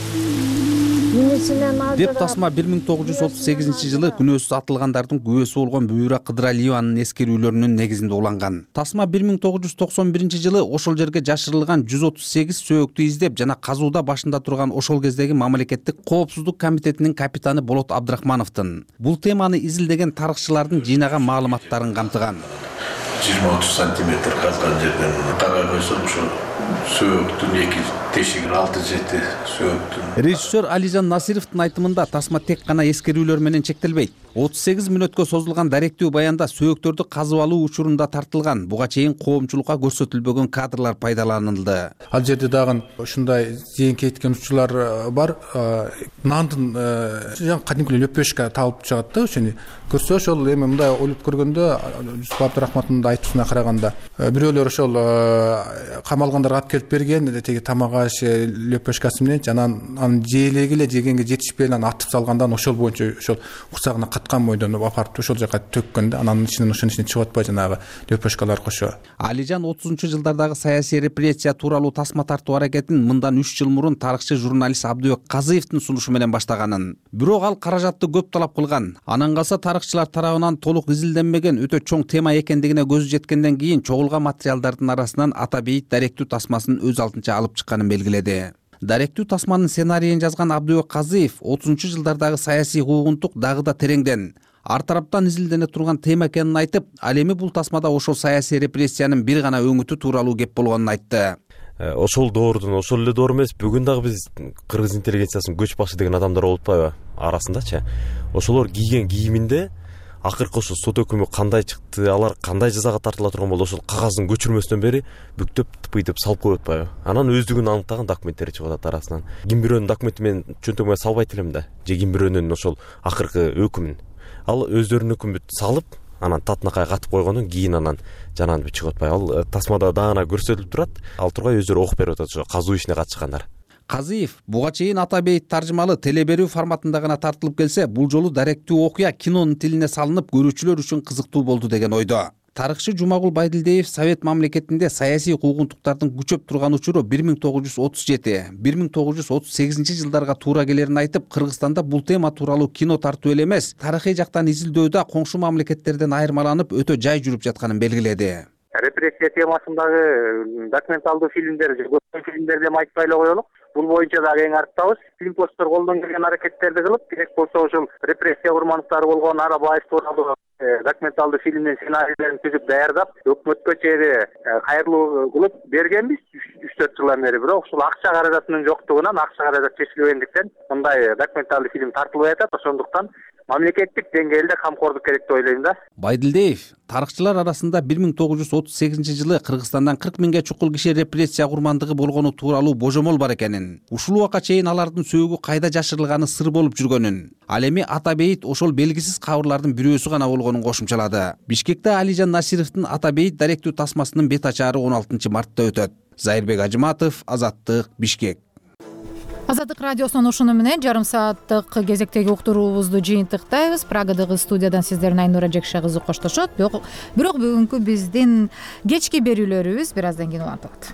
деп тасма бир миң тогуз жүз отуз сегизинчи жылы күнөөсүз атылгандардын күбөсү болгон Бүбүра Кыдыралиеванын эскерүүлөрүнүн негизинде уланган. Тасма бир миң тогуз жүз токсон биринчи жылы ошол жерге жашырылган жүз отуз сегиз сөөктү издеп жана казууда башында турган ошол кездеги мамлекеттик коопсуздук комитетинин капитаны Болот Абдрахмановдун бул теманы изилдеген тарыхчылардын жыйнаган маалыматтарын камтыган. жыйырма отуз сантиметр казган жерден карай койсом ушу сөөктүн эки тешиги алты жети сөөктүн. Режиссер Алижан Насировдун айтымында тасма тек гана эскерүүлөр менен чектелбейт. отуз сегиз мүнөткө созулган даректүү баянда сөөктөрдү казып алуу учурунда тартылган, буга чейин коомчулукка көрсөтүлбөгөн кадрлар пайдаланылды. Ал жерде дагы ушундай зыян кеткен учурлар бар. Нандын кадимки лөпөшкө табылып чыгат да, ошону көрсө ошол эми мындай ойлоп көргөндө Жусуп Абдрахмановдун айтуусуна караганда бирөөлөр ошол камалгандарга алып келип берген теги тамак аш лөпөшкасы менен жана анын жээлеги эле жегенге жетишпей анан атып салгандан ошол боюнча ошол курсагына каткан бойдон апарып ошол жака төккөн да, анан ичинен ошонун ичине чыгып атпай жанагы лөпөшкалар кошо. Алижан отузунчу жылдардагы саясий репрессия тууралуу тасма тартуу аракетин мындан үч жыл мурун тарыхчы журналист Абдыбек Казыевдин сунушу менен баштаганын. Бирок ал каражатты көп талап кылган. Анан калса тарыхчылар тарабынан толук изилденбеген өтө чоң тема экендигине көзү жеткенден кийин чогулган материалдардын арасынан Ата бейит даректүү тасмасын өз алдынча алып чыкканын белгиледи. Даректүү тасманын сценарийин жазган Абдыбек Казыев отузунчу жылдардагы саясий куугунтук дагы да тереңден, ар тараптан изилдене турган тема экенин айтып, ал эми бул тасмада ошол саясий репрессиянын бир гана өңүтү тууралуу кеп болгонун айтты. Ошол доордун ошол эле доор эмес, бүгүн дагы биз кыргыз интеллигенциясынын көч башы деген адамдар болуп атпайбы арасындачы. Ошолор кийген кийиминде акыркы ошо сот өкүмү кандай чыкты, алар кандай жазага тартыла турган болду, ошол кагаздын көчүрмөсүнөн бери бүктөп тыпыйтып салып коюп атпайбы. Анан өздүгүн аныктаган документтер чыгып атат арасынан. Ким бирөөнүн документи менен чөнтөгүмө салбайт элем да, же ким бирөөнүн ошол акыркы өкүмүн. Ал өздөрүнүн өкүмүн салып, анан татынакай катып койгондон кийин анан жанагы чыгып атпайбы. Ал тасмада даана көрсөтүлүп турат. Ал тургай өздөрү окуп берип атат ошо казуу ишине катышкандар. Казыев буга чейин Ата бейит таржымалы теле берүү форматында гана тартылып келсе, бул жолу даректүү окуя кинонун тилине салынып көрүүчүлөр үчүн кызыктуу болду деген ойдо. Тарыхчы Жумагул Байдилдиев Совет мамлекетинде саясий куугунтуктардын күчөп турган учуру бир миң тогуз жүз отуз жети — бир миң тогуз жүз отуз сегизинчи жылдарга туура келерин айтып, Кыргызстанда бул тема тууралуу кино тартуу эле эмес, тарыхый жактан изилдөөдө коңшу мамлекеттерден айырмаланып өтө жай жүрүп жатканын белгиледи. репрессия темасындагы документалдуу фильмдер же көптөгөн фильмдерди эми айтпай эле коелук. Бул боюнча дагы эң арттабыз. Фильмпосттор колдон келген аракеттерди кылып, керек болсо ушул репрессия курмандыктары болгон Арабаев тууралуу документалдуу фильмдин сценарийлерин түзүп даярдап, өкмөткө чейин кайрылуу кылып бергенбиз үч төрт жылдан бери. Бирок ушул акча каражатынын жоктугунан, акча каражат чечилбегендиктен мындай документалдуу фильм тартылбай атат. Ошондуктан мамлекеттик деңгээлде камкордук керек деп ойлойм да. Байдилдиев тарыхчылар арасында бир миң тогуз жүз отуз сегизинчи жылы Кыргызстандан кырк миңге чукул киши репрессия курмандыгы болгону тууралуу божомол бар экенин, ушул убакка чейин алардын сөөгү кайда жашырылганы сыр болуп жүргөнүн, ал эми Атабейит ошол белгисиз кабырлардын бирөөсү гана болгонун кошумчалады. Бишкекте Алижан Насировдун Атабейит даректүү тасмасынын бет ачаары он алтынчы мартта өтөт. Зайырбек Ажыматов, Азаттык, Бишкек. Азаттык радиосунун ушуну менен жарым сааттык кезектеги уктуруубузду жыйынтыктайбыз. Прагадагы студиядан сиздердин Айнура Жекше кызы коштошот. Бирок бүгүнкү биздин кечки берүүлөрүбүз бир аздан кийин улантылат.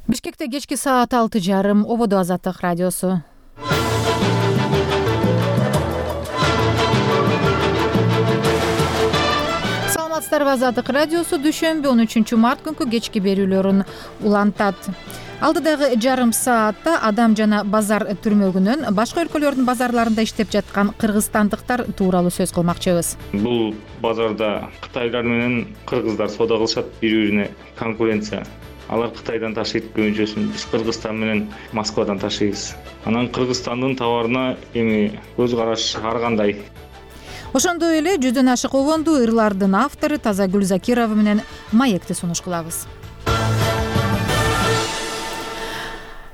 Бишкекте кечки саат алты жарым, ободо Азаттык радиосу. Азаттык радиосу дүйшөмбү он үчүнчү март күнкү кечки берүүлөрүн улантат. Алдыдагы жарым саатта Адам жана базар түрмөгүнөн башка өлкөлөрдүн базарларында иштеп жаткан кыргызстандыктар тууралуу сөз кылмакчыбыз. Бул базарда кытайлар менен кыргыздар соода кылышат, бири-бирине конкуренция. Алар Кытайдан ташыйт көбүнчөсүн, биз Кыргызстан менен Москвадан ташыйбыз. Анан Кыргызстандын товарына эми көз караш ар кандай. Ошондой эле жүздөн ашык обонду ырлардын автору Тазагүл Закирова менен маекти сунуш кылабыз.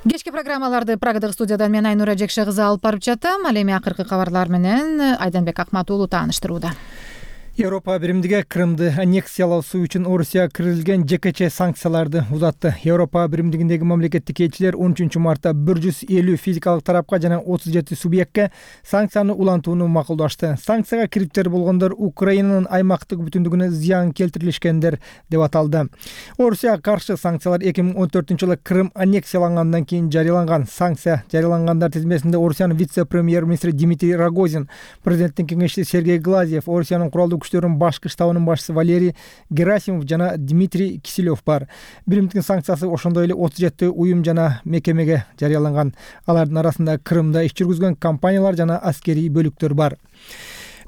Кечки программаларды Прагадагы студиядан мен Айнура Жекше кызы алып барып жатам. Ал эми акыркы кабарлар менен Айданбек Акмат уулу тааныштырууда. Европа биримдиги Крымды аннексиялоосу үчүн Орусия киргизилген жекече санкцияларды узатты. Европа биримдигиндеги мамлекеттик элчилер он үчүнчү мартта бир жүз элүү физикалык тарапка жана отуз жети субъектке санкцияны улантууну макулдашты. Санкцияга кириптер болгондор Украинанын аймактык бүтүндүгүнө зыян келтирилишкендер деп аталды. Орусияга каршы санкциялар эки миң он төртүнчү жылы Крым аннексиялангандан кийин жарыяланган. Санкция жарыялангандар тизмесинде Орусиянын вице-премьер-министри Дмитрий Рогозин, президенттин кеңешчиси Сергей Глазьев, Орусиянын куралдуу күчтөрүнүн башкы штабынын башчысы Валерий Герасимов жана Дмитрий Киселев бар. Биримдиктин санкциясы ошондой эле отуз жети уюм жана мекемеге жарыяланган. Алардын арасында Крымда иш жүргүзгөн компаниялар жана аскерий бөлүктөр бар.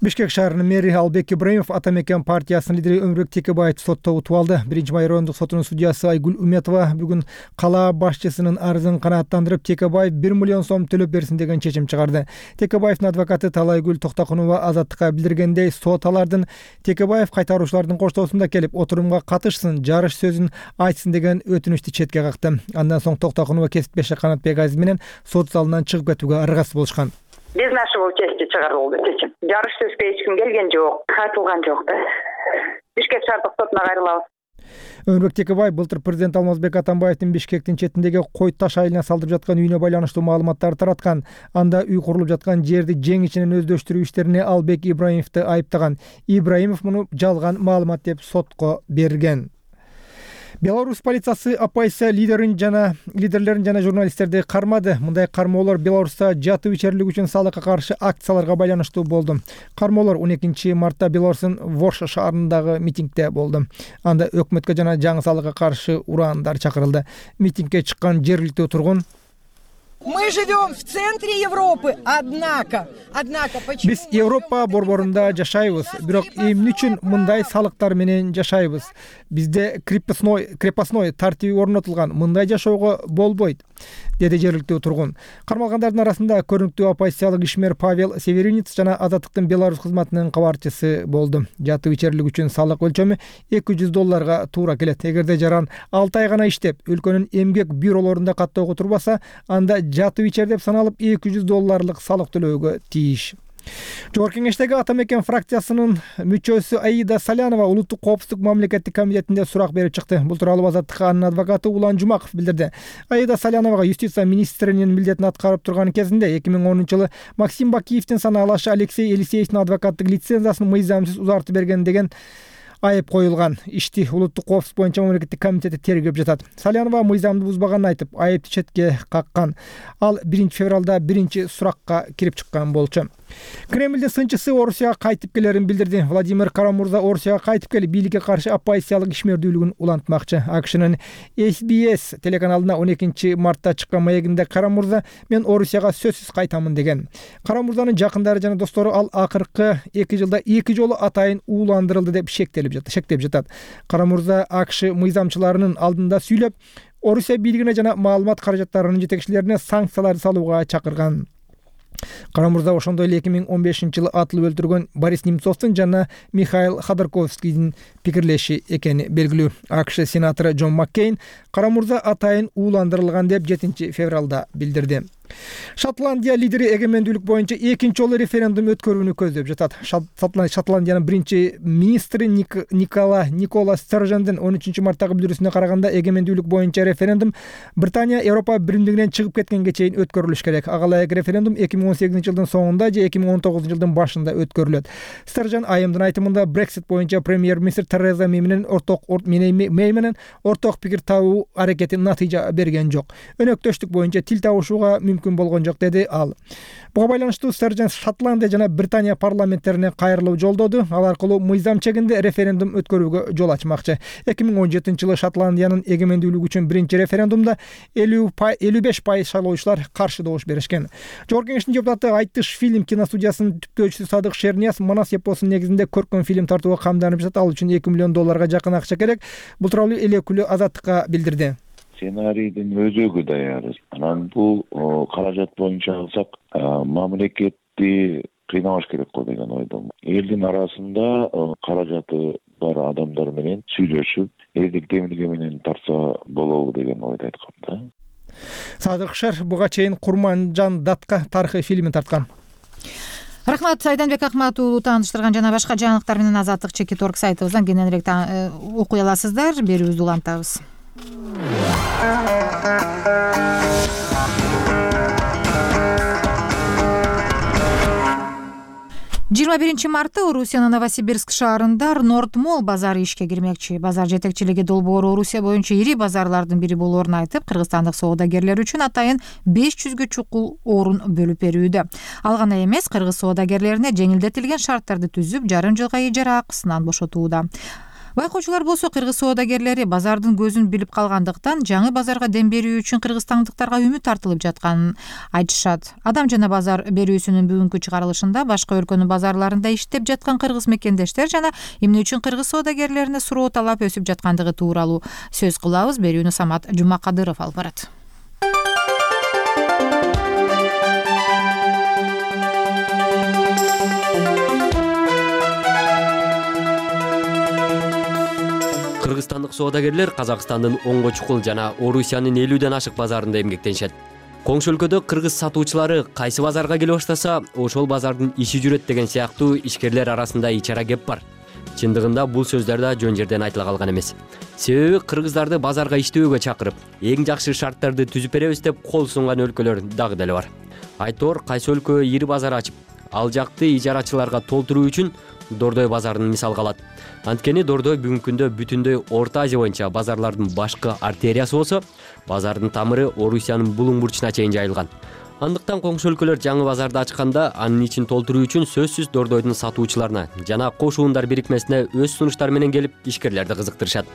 Бишкек шаарынын мэри Албек Ибраимов Ата мекен партиясынын лидери Өмүрбек Текебаевди сотто утуп алды. Биринчи май райондук сотунун судьясы Айгүл Үметова бүгүн кала башчысынын арызын канааттандырып, Текебаев бир миллион сом төлөп берсин деген чечим чыгарды. Текебаевдин адвокаты Талайгүл Токтокунова Азаттыкка билдиргендей, сот алардын Текебаев кайтаруучулардын коштоосунда келип отурумга катышсын, жарыш сөзүн айтсын деген өтүнүчтү четке какты. Андан соң Токтокунова кесиптеши Канатбек Азиз менен сот залынан чыгып кетүүгө аргасыз болушкан. Без нашего участия чыгарылды чечим. Жарыш сөзгө эч ким келген жок, айтылган жок да. Бишкек шаардык сотуна кайрылабыз. Өмүрбек Текебаев былтыр президент Алмазбек Атамбаевдин Бишкектин четиндеги Кой таш айылына салдырып жаткан үйүнө байланыштуу маалыматтарды тараткан. Анда үй курулуп жаткан жерди жең ичинен өздөштүрүү иштерине Албек Ибраимовду айыптаган. Ибраимов муну жалган маалымат деп сотко берген. Беларусь полициясы оппозиция лидерин жана лидерлерин жана журналисттерди кармады. Мындай кармоолор Беларуста жатуу ичерлик үчүн салыкка каршы акцияларга байланыштуу болду. Кармоолор он экинчи мартта Беларустун Ворша шаарындагы митингде болду. Анда өкмөткө жана жаңы салыкка каршы ураандар чакырылды. Митингге чыккан жергиликтүү тургун: Мы живем в центре Европы, однако, однако почему? Биз Европа борборунда жашайбыз, бирок эмне үчүн мындай салыктар менен жашайбыз? Бизде крепостной крепостной тартиби орнотулган, мындай жашоого болбойт, деди жергиликтүү тургун. Кармалгандардын арасында көрүнүктүү оппозициялык ишмер Павел Северинец жана Азаттыктын Беларусь кызматынын кабарчысы болду. Жатуу ичерлик үчүн салык өлчөмү эки жүз долларга туура келет. Эгерде жаран алты ай гана иштеп, өлкөнүн эмгек бюролорунда каттоого турбаса, анда жатуу ичер деп саналып эки жүз долларлык салык төлөөгө тийиш. Жогорку кеңештеги Ата мекен фракциясынын мүчөсү Аида Салянова улуттук коопсуздук мамлекеттик комитетинде сурак берип чыкты. Бул тууралуу Азаттыкка анын адвокаты Улан Жумаков билдирди. Аида Саляновага юстиция министринин милдетин аткарып турган кезинде эки миң онунчу жылы Максим Бакиевдин санаалашы Алексей Елисеевдин адвокаттык лицензиясын мыйзамсыз узартып берген деген айып коюлган. Ишти улуттук коопсуздук боюнча мамлекеттик комитети тергеп жатат. Салянова мыйзамды бузбаганын айтып, айыпты четке каккан. Ал биринчи февралда биринчи суракка кирип чыккан болчу. Кремлдин сынчысы Орусияга кайтып келерин билдирди. Владимир Кара-Мурза Орусияга кайтып келип, бийликке каршы оппозициялык ишмердүүлүгүн улантмакчы. АКШнын эс би эс телеканалына он экинчи мартта чыккан маегинде Кара-Мурза "Мен Орусияга сөзсүз кайтамын" деген. Кара-Мурзанын жакындары жана достору ал акыркы эки жылда эки жолу атайын ууландырылды деп шектелип жатат. Шектеп жатат. Кара-Мурза АКШ мыйзамчыларынын алдында сүйлөп, Орусия бийлигине жана маалымат каражаттарынын жетекчилерине санкцияларды салууга чакырган. Кара-Мурза ошондой эле эки миң он бешинчи жылы атылып өлтүргөн Борис Немцовдун жана Михаил Ходорковскийдин пикирлеши экени белгилүү. АКШ сенатору Джон Маккейн Кара-Мурза атайын ууландырылган деп жетинчи февралда билдирди. Шотландия лидери эгемендүүлүк боюнча экинчи жолу референдум өткөрүүнү көздөп жатат. Шотландиянын биринчи министри Никола Никола Стержендин он үчүнчү марттагы билдирүүсүнө караганда, эгемендүүлүк боюнча референдум Британия Европа биримдигинен чыгып кеткенге чейин өткөрүлүш керек. Ага ылайык референдум эки миң он сегизинчи жылдын соңунда же эки миң он тогузунчу жылдын башында өткөрүлөт. Стержен айымдын айтымында Brexit боюнча премьер-министр Тереза Мэй менен орток Мэй менен орток пикир табуу аракети натыйжа берген жок. Өнөктөштүк боюнча тил табышууга мүмкүн болгон жок, деди ал. Буга байланыштуу Стержен Шотландия жана Британия парламенттерине кайрылуу жолдоду. Ал аркылуу мыйзам чегинде референдум өткөрүүгө жол ачмакчы. эки миң он жетинчи жылы Шотландиянын эгемендүүлүгү үчүн биринчи референдумда элүү беш пайыз шайлоочулар каршы добуш беришкен. Жогорку кеңештин депутаты Айтыш фильм киностудиясынын түптөөчүсү Садык Шернияз Манас эпосунун негизинде көркөм фильм тартууга камданып жатат. Ал үчүн эки миллион долларга жакын акча керек. Бул тууралуу эл өкүлү Азаттыкка билдирди. Сценарийдин өзөгү даяр. Анан бул каражат боюнча алсак, мамлекетти кыйнабаш керек го деген ойдомун. Элдин арасында каражаты бар адамдар менен сүйлөшүп, элдик демилге менен тарса болобу деген ойду айткам да. Садык Шер буга чейин Курманжан Датка тарыхый фильмин тарткан. Рахмат, Айданбек Акмат уулу тааныштырган жана башка жаңылыктар менен Азаттык чекит орг сайтыбыздан кененирээк окуй аласыздар. Берүүбүздү улантабыз. жыйырма биринчи мартта Орусиянын Новосибирск шаарында Нордмол базары ишке кирмекчи. Базар жетекчилиги долбоору Орусия боюнча ири базарлардын бири болоорун айтып, кыргызстандык соодагерлер үчүн атайын беш жүзгө чукул орун бөлүп берүүдө. Ал гана эмес, кыргыз соодагерлерине жеңилдетилген шарттарды түзүп, жарым жылга ижара акысынан бошотууда. Байкоочулар болсо кыргыз соодагерлери базардын көзүн билип калгандыктан жаңы базарга дем берүү үчүн кыргызстандыктарга үмүт артылып жатканын айтышат. Адам жана базар берүүсүнүн бүгүнкү чыгарылышында башка өлкөнүн базарларында иштеп жаткан кыргыз мекендештер жана эмне үчүн кыргыз соодагерлерине суроо талап өсүп жаткандыгы тууралуу сөз кылабыз. Берүүнү Самат Жумакадыров алып барат. Кыргызстандык соодагерлер Казакстандын онго чукул жана Орусиянын элүүдөн ашык базарында эмгектенишет. Коңшу өлкөдө кыргыз сатуучулары кайсы базарга келе баштаса, ошол базардын иши жүрөт деген сыяктуу ишкерлер арасында ичара кеп бар. Чындыгында бул сөздөр да жөн жерден айтыла калган эмес. Себеби кыргыздарды базарга иштөөгө чакырып, эң жакшы шарттарды түзүп беребиз деп кол сунган өлкөлөр дагы деле бар. Айтор кайсы өлкө ири базар ачып, ал жакты ижарачыларга толтуруу үчүн Дордой базарын мисалга алат. Анткени Дордой бүгүнкү күндө бүтүндөй Орто Азия боюнча базарлардын башкы артериясы болсо, базардын тамыры Орусиянын булуң бурчуна чейин жайылган. Андыктан коңшу өлкөлөр жаңы базарды ачканда анын ичин толтуруу үчүн сөзсүз Дордойдун сатуучуларына жана кошуундар бирикмесине өз сунуштары менен келип ишкерлерди кызыктырышат.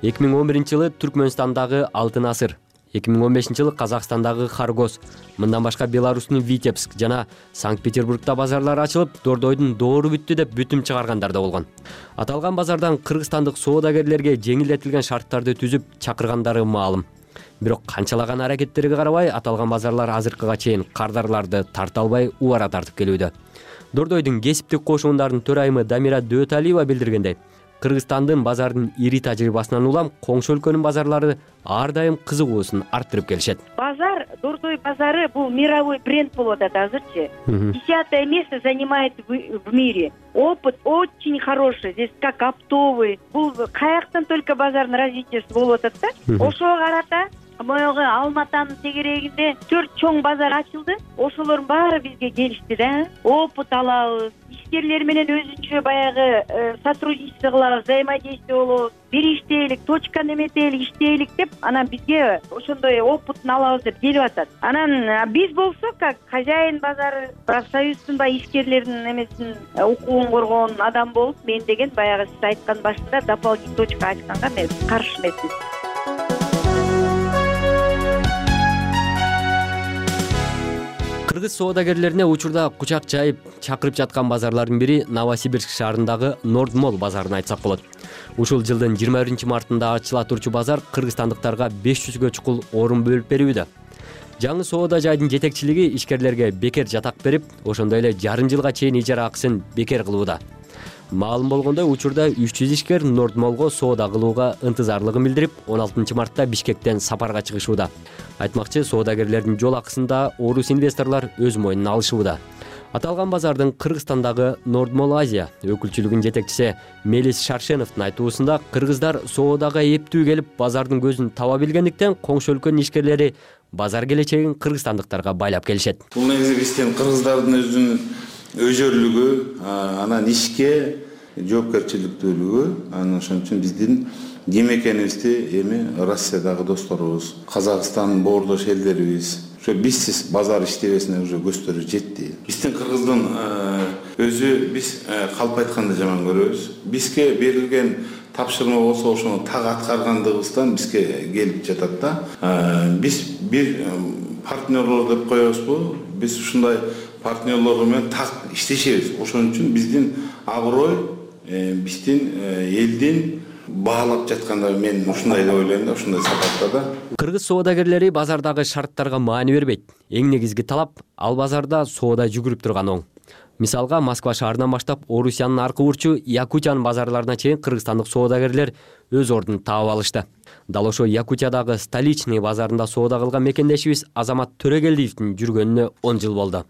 эки миң он биринчи жылы Түркмөнстандагы Алтын Асыр, эки миң он бешинчи жылы Казакстандагы Харгос, мындан башка Беларустун Витебск жана Санкт-Петербургда базарлар ачылып, Дордойдун доору бүттү деп бүтүм чыгаргандар да болгон. Аталган базардан кыргызстандык соодагерлерге жеңилдетилген шарттарды түзүп чакыргандары маалым. Бирок канчалаган аракеттерге карабай, аталган базарлар азыркыга чейин кардарларды тарта албай убара тартып келүүдө. Дордойдун кесиптик кошуундардын төрайымы Дамира Дөталиева билдиргендей, Кыргызстандын базардын ири тажрыйбасынан улам коңшу өлкөнүн базарлары ар дайым кызыгуусун арттырып келишет. Базар, Дордой базары бул мировой бренд болуп атат азырчы. Десятое место занимает в мире. Опыт очень хороший. Здесь как оптовый. Бул каяктан только базардын развитиясы болуп атат да. Ошого карата моего Алматанын тегерегинде төрт чоң базар ачылды. Ошолордун баары бизге келишти да. Опыт алабыз, ишкерлер менен өзүнчө баягы сотрудничество кылабыз, взаимодействие болобуз, бир иштейлик, точка неметелик иштейлик деп анан бизге ошондой опытын алабыз деп келип атат. Анан биз болсок как хозяин базары, профсоюздун баягы ишкерлердин эмесин укугун коргоон адам болуп, мен деген баягы сиз айткан башында дополнительный точка ачканга мен каршы эмесмин. Кыргыз соодагерлерине учурда кучак жайып чакырып жаткан базарлардын бири Новосибирск шаарындагы Нордмол базарын айтсак болот. Ушул жылдын жыйырма биринчи мартында ачыла турчу базар кыргызстандыктарга беш жүзгө чукул орун бөлүп берүүдө. Жаңы соода жайдын жетекчилиги ишкерлерге бекер жатак берип, ошондой эле жарым жылга чейин ижара акысын бекер кылууда. Маалым болгондой, учурда үч жүз ишкер Нордмолго соода кылууга ынтызарлыгын билдирип, он алтынчы мартта Бишкектен сапарга чыгышууда. Айтмакчы, соодагерлердин жол акысын да орус инвесторлор өз мойнуна алышууда. Аталган базардын Кыргызстандагы Нордмол Азия өкүлчүлүгүнүн жетекчиси Мелис Шаршеновдун айтуусунда, кыргыздар соодага эптүү келип, базардын көзүн таба билгендиктен коңшу өлкөнүн ишкерлери базар келечегин кыргызстандыктарга байлап келишет. Бул негизи биздин кыргыздардын өзүнүн өзөрлүгү, анан ишке жоопкерчиликтүүлүгү, анан ошон үчүн биздин ким экенибизди эми Россиядагы досторубуз, Казакстан боордош элдерибиз ошо бизсиз базар иштебесине уже көздөрү жетти. Биздин кыргыздын өзү биз калп айтканды жаман көрөбүз. Бизге берилген тапшырма болсо ошону так аткаргандыгыбыздан бизге келип жатат да. Биз бир партнерлор деп коебузбу? Биз ушундай партнерлор менен так иштешебиз. Ошон үчүн биздин аброй, биздин элдин баалап жатканда мен ушундай деп ойлойм да, ушундай сапатта да. Кыргыз соодагерлери базардагы шарттарга маани бербейт. Эң негизги талап ал базарда соода жүгүрүп турган оң. Мисалга, Москва шаарынан баштап Орусиянын аркы бурчу Якутиянын базарларына чейин кыргызстандык соодагерлер өз ордун таап алышты. Дал ошо Якутиядагы Столичный базарында соода кылган мекендешибиз Азамат Төрөгелдиевдин жүргөнүнө он жыл болду.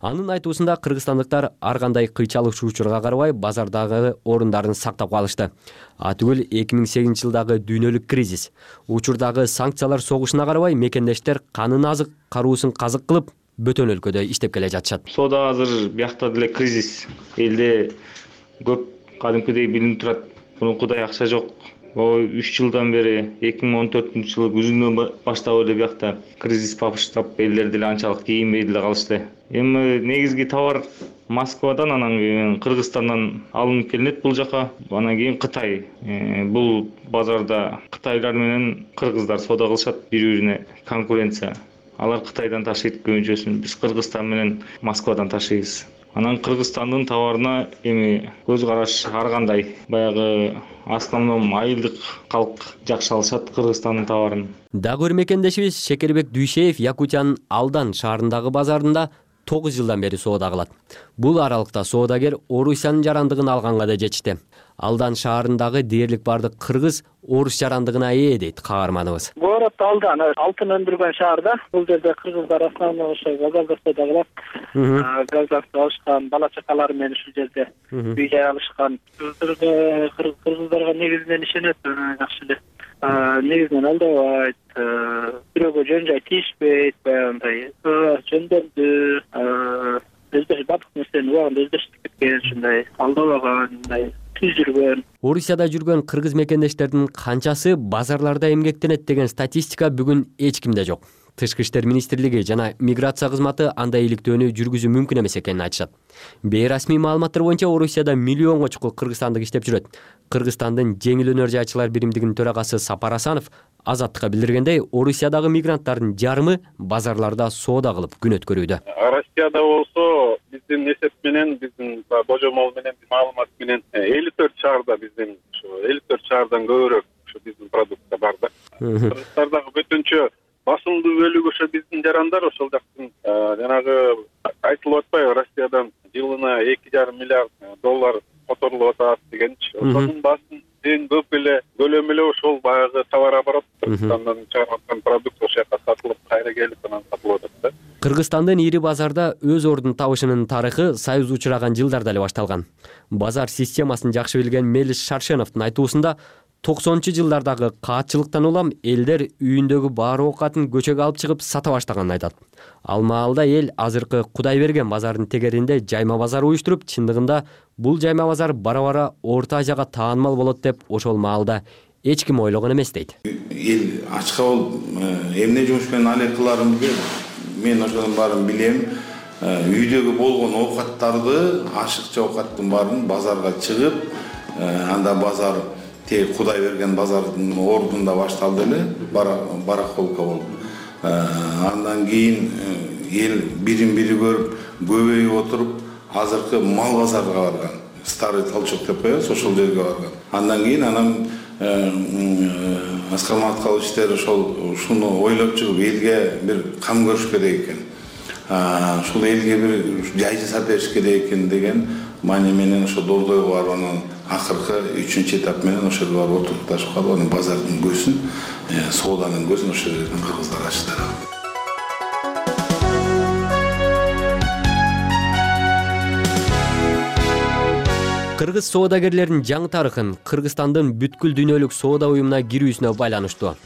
Анын айтуусунда, кыргызстандыктар ар кандай кыйчалык учурга карабай базардагы орундарын сактап калышты. А түгүл эки миң сегизинчи жылдагы дүйнөлүк кризис, учурдагы санкциялар согушуна карабай мекендештер канын азык, каруусун казык кылып бөтөн өлкөдө иштеп келе жатышат. Соода азыр биякта деле кризис, элде көп кадимкидей билинип турат. Мурункудай акча жок. үч жылдан бери эки миң он төртүнчү жылы күзүнөн баштап эле биякта кризис баштап, элдер деле анчалык кийинбей деле калышты. Эми негизги товар Москвадан, анан кийин Кыргызстандан алынып келинет бул жака. Анан кийин Кытай. Бул базарда кытайлар менен кыргыздар соода кылышат, бири-бирине конкуренция. Алар Кытайдан ташыйт көбүнчөсүн, биз Кыргызстан менен Москвадан ташыйбыз. Анан Кыргызстандын товарына эми көз караш ар кандай. Баягы основном айылдык калк жакшы алышат Кыргызстандын товарын. Дагы бир мекендешибиз Шекербек Дүйшеев Якутиянын Алдан шаарындагы базарында тогуз жылдан бери соода кылат. Бул аралыкта соодагер Орусиянын жарандыгын алганга да жетишти. Алдан шаарындагы дээрлик бардык кыргыз орус жарандыгына ээ дейт каарманыбыз. Город Алдан алтын өндүргөн шаарда. Бул жерде кыргыздар основной ошо газда соода кылат. Газда алышкан бала чакалары менен ушул жерде үй жай алышкан. Кыргыздарга негизинен ишенет, жакшы эле. Негизинен алдабайт, бирөөгө жөн жай тийишпейт, баягындай жөндөмдүү, өздөш бардык нерсени убагында өздөштүп кеткен, ушундай алдабаган, мындай түз жүргөн. Орусияда жүргөн кыргыз мекендештердин канчасы базарларда эмгектенет деген статистика бүгүн эч кимде жок. Тышкы иштер министрлиги жана миграция кызматы андай иликтөөнү жүргүзүү мүмкүн эмес экенин айтышат. Бейрасмий маалыматтар боюнча Орусияда миллионго чукул кыргызстандык иштеп жүрөт. Кыргызстандын жеңил өнөр жайчылар биримдигинин төрагасы Сапар Асанов Азаттыкка билдиргендей, Орусиядагы мигранттардын жарымы базарларда соода кылып күн өткөрүүдө. Россияда болсо биздин эсеп менен, биздин божомол менен, маалымат менен элүү төрт шаарда биздин ушу элүү төрт шаардан көбүрөөк ушу биздин продукция бар да. Кыргызстандагы бүтүнчө басымдуу бөлүгү ошо биздин жарандар, ошол жактын жанагы айтылып атпайбы, Россиядан жылына эки жарым миллиард доллар которулуп атат дегенчи. Ошонун басым эң көп эле көлөмү эле ошол баягы товар оборот, Кыргызстандан чыгарып аткан продукт ошол жака сатылып, кайра келип анан сатылып атат да. Кыргызстандын ири базарда өз ордун табышынын тарыхы Союз учураган жылдарда эле башталган. Базар системасын жакшы билген Мелис Шаршеновдун айтуусунда, токсонунчу жылдардагы каатчылыктан улам элдер үйүндөгү баары оокатын көчөгө алып чыгып сата баштаганын айтат. Ал маалда эл азыркы Кудайберген базарынын тегеринде жайма базар уюштуруп, чындыгында бул жайма базар бара-бара Орто Азияга таанымал болот деп ошол маалда эч ким ойлогон эмес дейт. Эл ачка болуп эмне жумуш менен алек кыларын билбейм. Мен ошонун баарын билем. Үйдөгү болгон оокаттарды, ашыкча оокаттын баарын базарга чыгып, анда базар тээ Кудайберген базардын ордунда башталды эле, барахолка болуп. Андан кийин эл бирин бири көрүп, көбөйүп отуруп, азыркы мал базарга барган. Старый Толчок деп коебуз, ошол жерге барган. Андан кийин анан Аскар Маткалычтер ошол ушуну ойлоп чыгып, элге бир кам көрүш керек экен. Ушул элге бир жай жасап бериш керек экен деген маани менен ошо Дордойго барып, анан акыркы үчүнчү этап менен ошол жерге барып отурупташып калып, анан базардын көзүн, сооданын көзүн ошол жерден кыргыздар ачтыр. Кыргыз соодагерлеринин жаңы тарыхын Кыргызстандын бүткүл дүйнөлүк соода уюмуна кирүүсүнө байланыштуу.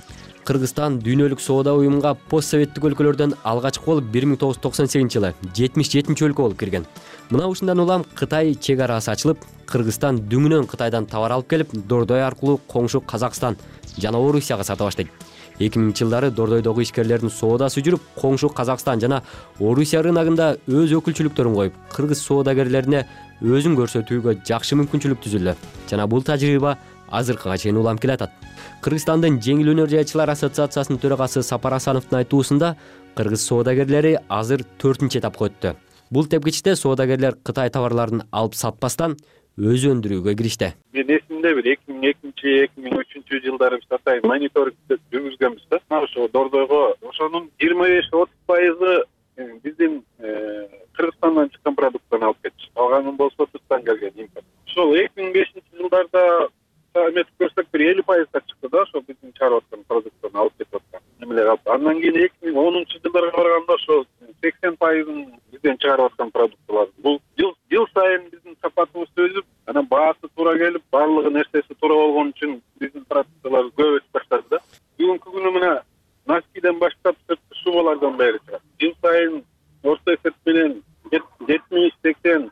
Кыргызстан дүйнөлүк соода уюмунга постсоветтик өлкөлөрдөн алгачкы болуп бир миң тогуз жүз токсон сегизинчи жылы жетимиш жетинчи өлкө болуп кирген. Мына ушундан улам Кытай чек арасы ачылып, Кыргызстан дүңүнөн Кытайдан товар алып келип, Дордой аркылуу коңшу Казакстан жана Орусияга сата баштайт. эки миңинчи жылдары Дордойдогу ишкерлердин соодасы жүрүп, коңшу Казакстан жана Орусия рыногунда өз өкүлчүлүктөрүн коюп, кыргыз соодагерлерине өзүн көрсөтүүгө жакшы мүмкүнчүлүк түзүлдү жана бул тажрыйба азыркыга чейин улам келатат. Кыргызстандын жеңил өнөр жайчылар ассоциациясынын төрагасы Сапар Асановдун айтуусунда, кыргыз соодагерлери азыр төртүнчү этапка өттү. Бул тепкичте соодагерлер Кытай товарларын алып сатпастан өзү өндүрүүгө киришти. Мен эсимде бир эки миң экинчи эки миң үчүнчү жылдары биз атайын мониторинг жүргүзгөнбүз да. Ошо Дордойго ошонун жыйырма беш отуз пайызы биздин Кыргызстандан чыккан продукттан алып кетти. Калганын болсо сырттан келген импорт. Ошол эки миң бешинчи жылдарда эметип көрсөк бир элүү пайызга чыкты да, ошо биздин чыгарып аткан продукттан алып кетип аткан эмелер алып. Андан кийин эки миң онунчу жылдарга барганда ошо сексен пайызын бизден чыгарып аткан продукттар. Бул жыл жыл сайын биздин сапатыбыз өсүп, анан баасы туура келип, баардыгы нерсеси туура болгон үчүн биздин продукциялар көп өсүп баштады да. Бүгүнкү күнү мына носкиден баштап сырткы шубалардан бери чыгат. Жыл сайын орто эсеп менен жетимиш сексен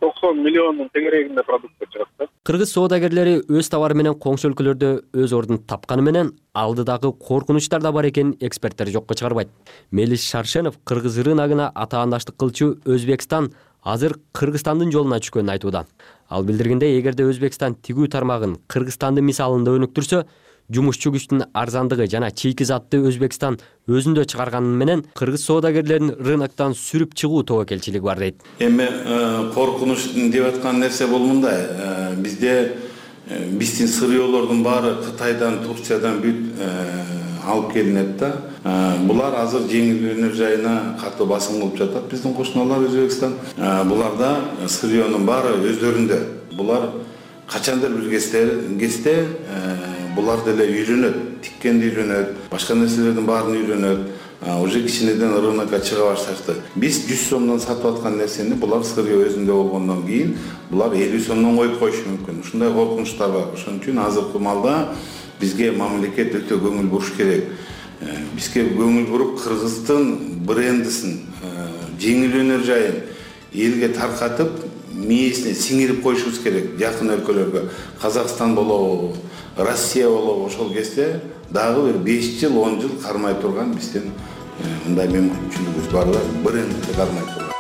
токсон миллиондун тегерегинде продукция чыгат да. Кыргыз соодагерлери өз товары менен коңшу өлкөлөрдө өз ордун тапканы менен алдыдагы коркунучтар да бар экенин эксперттер жокко чыгарбайт. Мелис Шаршенов кыргыз рыногуна атаандаштык кылчу Өзбекстан азыр Кыргызстандын жолуна түшкөнүн айтууда. Ал билдиргендей, эгерде Өзбекстан тигүү тармагын Кыргызстандын мисалында өнүктүрсө, жумушчу күчтүн арзандыгы жана чийки затты Өзбекстан өзүндө чыгарганы менен кыргыз соодагерлерин рыноктон сүрүп чыгуу тобокелчилиги бар дейт. Эми коркунуч деп аткан нерсе бул мындай. Бизде биздин сырьёолордун баары Кытайдан, Турциядан бүт алып келинет да. Булар азыр жеңил өнөр жайына катуу басым кылып жатат биздин кошуналар Өзбекстан. Буларда сырьёнун баары өздөрүндө. Булар качандыр бир кезде булар деле үйрөнөт, тиккенди үйрөнөт, башка нерселердин баарын үйрөнөт. Уже кичинеден рынокко чыга башташты. Биз жүз сомдон сатып аткан нерсени булар сырьё өзүндө болгондон кийин булар элүү сомдон коюп коюшу мүмкүн. Ушундай коркунучтар бар. Ошон үчүн азыркы маалда бизге мамлекет өтө көңүл буруш керек. Бизге көңүл буруп кыргыздын брендисин, жеңил өнөр жайын элге таркатып, мээсине сиңирип коюшубуз керек. Жакын өлкөлөргө Казакстан болобу, Россия болобу, ошол кезде дагы бир беш жыл, он жыл кармай турган биздин мындай мүмкүнчүлүгүбүз бар да, брендти кармай турган.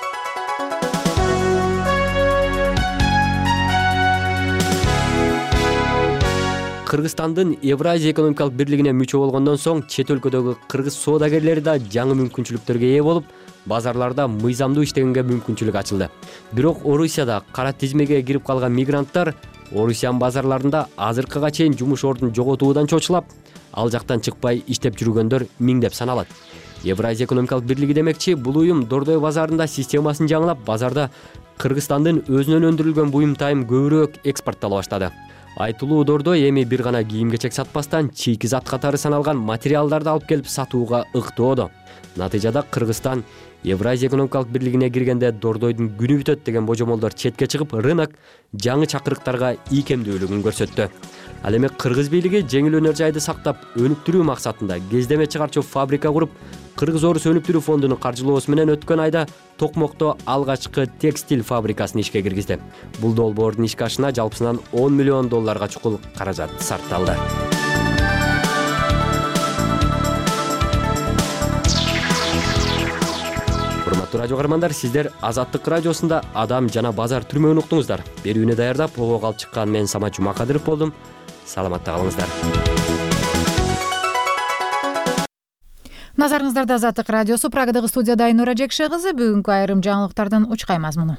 Кыргызстандын Евразия экономикалык бирлигине мүчө болгондон соң чет өлкөдөгү кыргыз соодагерлери да жаңы мүмкүнчүлүктөргө ээ болуп, базарларда мыйзамдуу иштегенге мүмкүнчүлүк ачылды. Бирок Орусияда кара тизмеге кирип калган мигранттар Орусиянын базарларында азыркыга чейин жумуш ордун жоготуудан чочулап, ал жактан чыкпай иштеп жүргөндөр миңдеп саналат. Евразия экономикалык бирлиги демекчи, бул уюм Дордой базарында системасын жаңылап, базарда Кыргызстандын өзүнөн өндүрүлгөн буюм тайым көбүрөөк экспорттала баштады. Айтылуу Дордой эми бир гана кийим-кечек сатпастан чийки зат катары саналган материалдарды алып келип сатууга ыктоодо. Натыйжада Кыргызстан Евразия экономикалык бирлигине киргенде Дордойдун күнү бүтөт деген божомолдор четке чыгып, рынок жаңы чакырыктарга ийкемдүүлүгүн көрсөттү. Ал эми кыргыз бийлиги жеңил өнөр жайды сактап өнүктүрүү максатында кездеме чыгарчу фабрика куруп, Кыргыз Орус өнүктүрүү фондунун каржылоосу менен өткөн айда Токмокто алгачкы текстиль фабрикасын ишке киргизди. Бул долбоордун ишке ашына жалпысынан он миллион долларга чукул каражат сарпталды. Урматтуу радио каармандар, сиздер Азаттык радиосунда Адам жана базар түрмөгүн уктуңуздар. Берүүнү даярдап, ого алып чыккан мен Самат Жумакадыров болдум. Саламатта калыңыздар. Назарыңыздарда Азаттык радиосу, Прагадагы студияда Айнура Жекше кызы. Бүгүнкү айрым жаңылыктардан учкай мазмуну.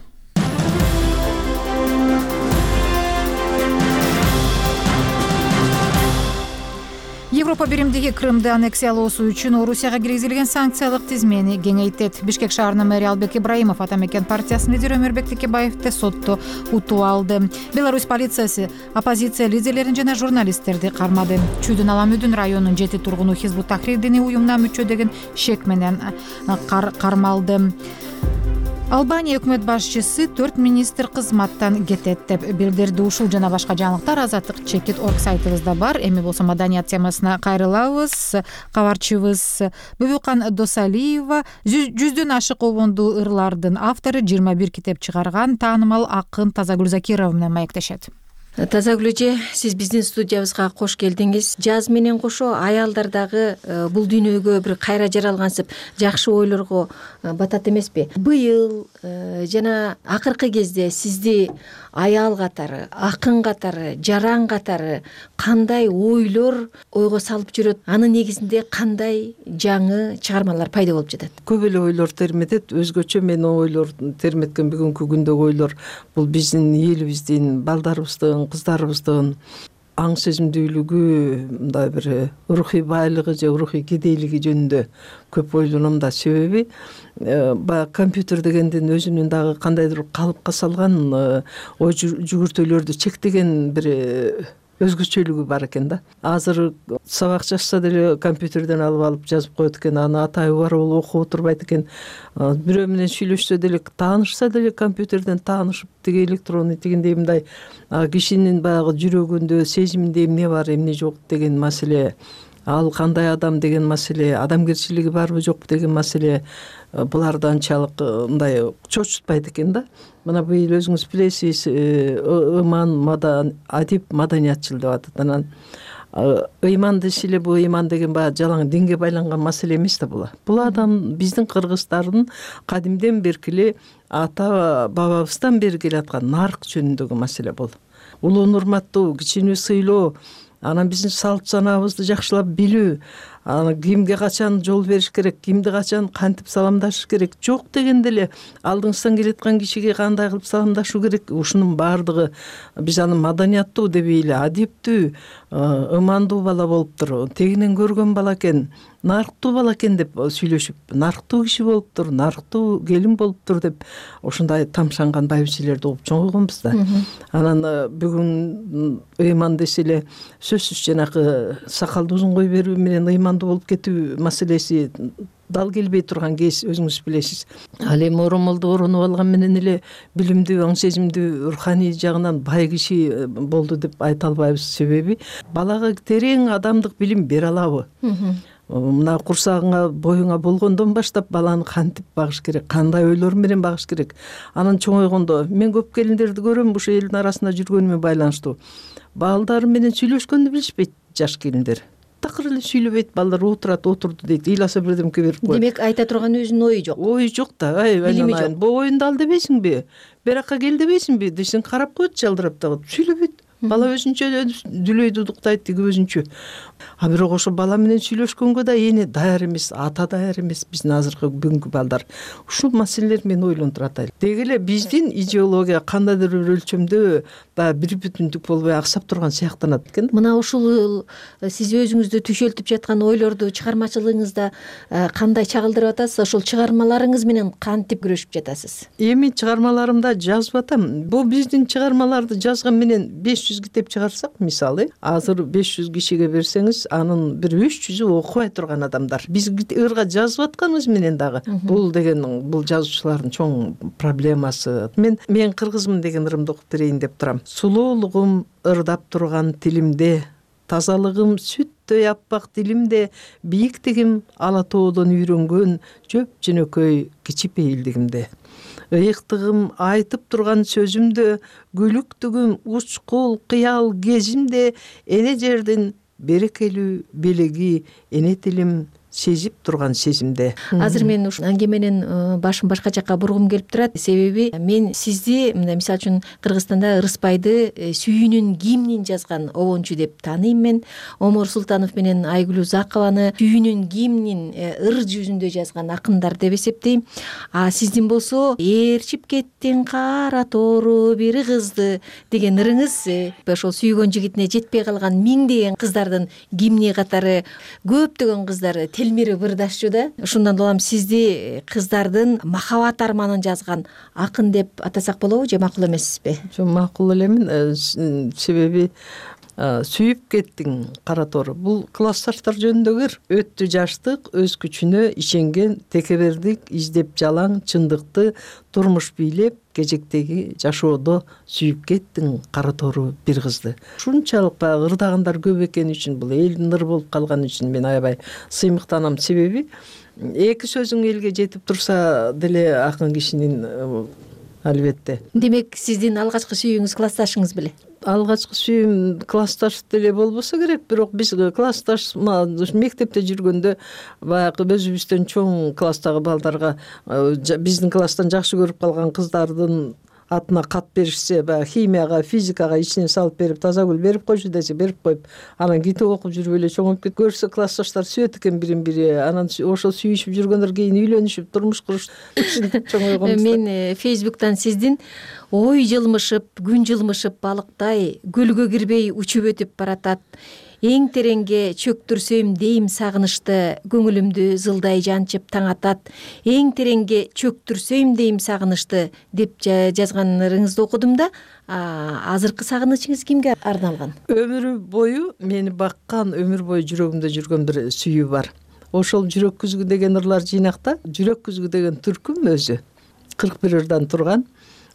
Европа биримдиги Крымды аннексиялоосу үчүн Орусияга киргизилген санкциялык тизмени кеңейтет. Бишкек шаарынын мэри Албек Ибраимов Атамекен партиясынын лидери Өмүрбек Текебаевди сотто утуп алды. Беларусь полициясы оппозиция лидерлерин жана журналисттерди кармады. Чүйдүн Аламүдүн районунун жети тургуну Хизбут Тахрир диний уюмуна мүчө деген шек менен кармалды. Албания өкмөт башчысы төрт министр кызматтан кетет деп билдирди. Ушул жана башка жаңылыктар Азаттык чекит орг сайтыбызда бар. Эми болсо маданият темасына кайрылабыз. Кабарчыбыз Бүбүкан Досалиева жүздөн ашык обондуу ырлардын автору, жыйырма бир китеп чыгарган таанымал акын Тазагүл Закирова менен маектешет. Тазагүл эже, сиз биздин студиябызга кош келдиңиз. Жаз менен кошо аялдар дагы бул дүйнөгө бир кайра жаралгансып, жакшы ойлорго батат эмеспи? Быйыл жана акыркы кезде сизди аял катары, акын катары, жаран катары кандай ойлор ойго салып жүрөт? Анын негизинде кандай жаңы чыгармалар пайда болуп жатат? Көп эле ойлор терметет. Өзгөчө мен ойлор терметкен бүгүнкү күндөгү ойлор бул биздин элибиздин, балдарыбыздын, кыздарыбыздын аң сезимдүүлүгү, мындай бир рухий байлыгы же рухий кедейлиги жөнүндө көп ойлоном да. Себеби баягы компьютер дегендин өзүнүн дагы кандайдыр калыпка салган ой жүгүртүүлөрдү чектеген бир өзгөчөлүгү бар экен да. Азыр сабак жазса деле компьютерден алып алып жазып коет экен, аны атайы бар болуп окуп отурбайт экен. Бирөө менен сүйлөшсө деле, таанышса деле компьютерден таанышып, тиги электронный тигиндей мындай кишинин баягы жүрөгүндө, сезиминде эмне бар, эмне жок деген маселе, ал кандай адам деген маселе, адамгерчилиги барбы жокпу деген маселе буларды анчалык мындай чочутпайт экен да. Мына быйыл өзүңүз билесиз, ыйман мадан адип маданиятчыл деп атат. Анан ыйман десе эле бул ыйман деген баягы жалаң динге байланган маселе эмес да бул. Бул адам биздин кыргыздардын кадимден берки эле ата бабабыздан бери келаткан нарк жөнүндөгү маселе бул. Улууну урматтоо, кичини сыйлоо, анан биздин салт санаабызды жакшылап билүү, аны кимге качан жол бериш керек, кимди качан кантип саламдашыш керек, жок дегенде эле алдыңыздан келаткан кишиге кандай кылып саламдашуу керек, ушунун баардыгы биз аны маданияттуу дебей эле адиптүү, ымандуу бала болуптур, тегинен көргөн бала экен, нарктуу бала экен деп сүйлөшүп, нарктуу киши болуптур, нарктуу келин болуптур деп ошондой тамшанган байбичелерди угуп чоңойгонбуз да. Анан бүгүн ыйман десе эле сөзсүз жанакы сакалды узун кой берүү менен ыймандуу болуп кетүү маселеси дал келбей турган кез, өзүңүз билесиз. Ал эми оромолду оронуп алган менен эле билимдүү, аң сезимдүү, руханий жагынан бай киши болду деп айта албайбыз. Себеби балага терең адамдык билим бере алабы? Мына курсагыңа, боюңа болгондон баштап баланы кантип багыш керек, кандай ойлор менен багыш керек. Анан чоңойгондо мен көп келиндерди көрөм, ушу элдин арасында жүргөнүмө байланыштуу. Балдары менен сүйлөшкөндү билишпейт жаш келиндер. Такыр эле сүйлөбөйт, балдар отурат, отурду дейт, ыйласа бирдемке берип коет. Демек айта турган өзүнүн ою жок. Ою жок да. Билими жок. Бу оюнду ал дебейсиңби? Беракка кел дебейсиңби? Десең карап коет, жалдырап дагы. Сүйлөбөйт. Бала өзүнчө дүлөйдү удуктайт, тиги өзүнчө. А бирок ошо бала менен сүйлөшкөнгө да эне даяр эмес, ата даяр эмес биздин азыркы бүгүнкү балдар. Ушул маселелер мени ойлонтуп атат. Деги эле биздин идеология кандайдыр бир өлчөмдө баягы бир бүтүндүк болбой аксап турган сыяктанат экен. Мына ушул сиз өзүңүздү түшөлтүп жаткан ойлорду чыгармачылыгыңызда кандай чагылдырып атасыз? Ошол чыгармаларыңыз менен кантип күрөшүп жатасыз? Эми чыгармаларымда жазып атам. Бул биздин чыгармаларды жазган менен беш жүз жүз китеп чыгарсак, мисалы азыр беш жүз кишиге берсеңиз, анын бир үч жүзү окубай турган адамдар. Биз ырга жазып атканыбыз менен дагы бул деген бул жазуучулардын чоң проблемасы. Мен мен кыргызмын деген ырымды окуп берейин деп турам. Сулуулугум ырдап турган тилимде, тазалыгым сүттөй аппак дилимде, бийиктигим ала тоодон үйрөнгөн жөп жөнөкөй кичипейилдигимде. Ыйыктыгым айтып турган сөзүмдө, күлүктүгүм учкул кыял кезимде, эне жердин берекелүү белеги эне тилим сезип турган сезимде. Азыр мен ушул аңгеменин башын башка жакка бургум келип турат. Себеби мен сизди, мындай мисалы үчүн Кыргызстанда Ырыспайды сүйүүнүн гимнин жазган обончу деп тааныйм мен. Омор Султанов менен Айгүл Узакованы сүйүүнүн гимнин ыр жүзүндө жазган акындар деп эсептейм. А сиздин болсо ээрчип кеттиң кара тору бир кызды деген ырыңыз ошол сүйгөн жигитине жетпей калган миңдеген кыздардын гимни катары көптөгөн кыздар телмири бырдашчу да. Ушундан улам сизди кыздардын махабат арманын жазган акын деп атасак болобу же макул эмессизби? Жок, макул элемин. Себеби сүйүп кеттиң кара тору бул классташтар жөнүндөгү ыр. Өттү жаштык, өз күчүнө ишенген, текебердик издеп жалаң чындыкты, турмуш бийлеп кежектеги жашоодо сүйүп кеттиң кара тору бир кызды. Ушунчалык баягы ырдагандар көп экени үчүн, бул элдин ыры болуп калганы үчүн мен аябай сыймыктанам. Себеби эки сөзүң элге жетип турса деле акын кишинин албетте. Демек сиздин алгачкы сүйүүңүз классташыңыз беле? Алгачкы сүйүүм классташ деле болбосо керек, бирок биз классташ мектепте жүргөндө баягы өзүбүздөн чоң класстагы балдарга биздин класстан жакшы көрүп калган кыздардын атына кат беришсе, баягы химияга, физикага ичине салып берип, таза гүл берип койчу десе берип коюп, анан китеп окуп жүрүп эле чоңоюп кетип, көрсө классташтар сүйөт экен бирин-бири, анан ошол сүйүшүп жүргөндөр кийин үйлөнүшүп, турмуш курушуп чоңойгонбуз. Мен Фейсбуктан сиздин ой жылмышып, күн жылмышып балыктай көлгө кирбей учуп өтүп баратат. Эң тереңге чөктүрсөм дейм сагынычты, көңүлүмдү зылдай жанчып таң атат. Эң тереңге чөктүрсөм дейм сагынычты деп жазганыңызды окудум да. Азыркы сагынычыңыз кимге арналган? Өмүр бою мени баккан, өмүр бою жүрөгүмдө жүргөн бир сүйүү бар. Ошол жүрөк күзгү деген ырлар жыйнакта, жүрөк күзгү деген түркүм өзү кырк бир ырдан турган.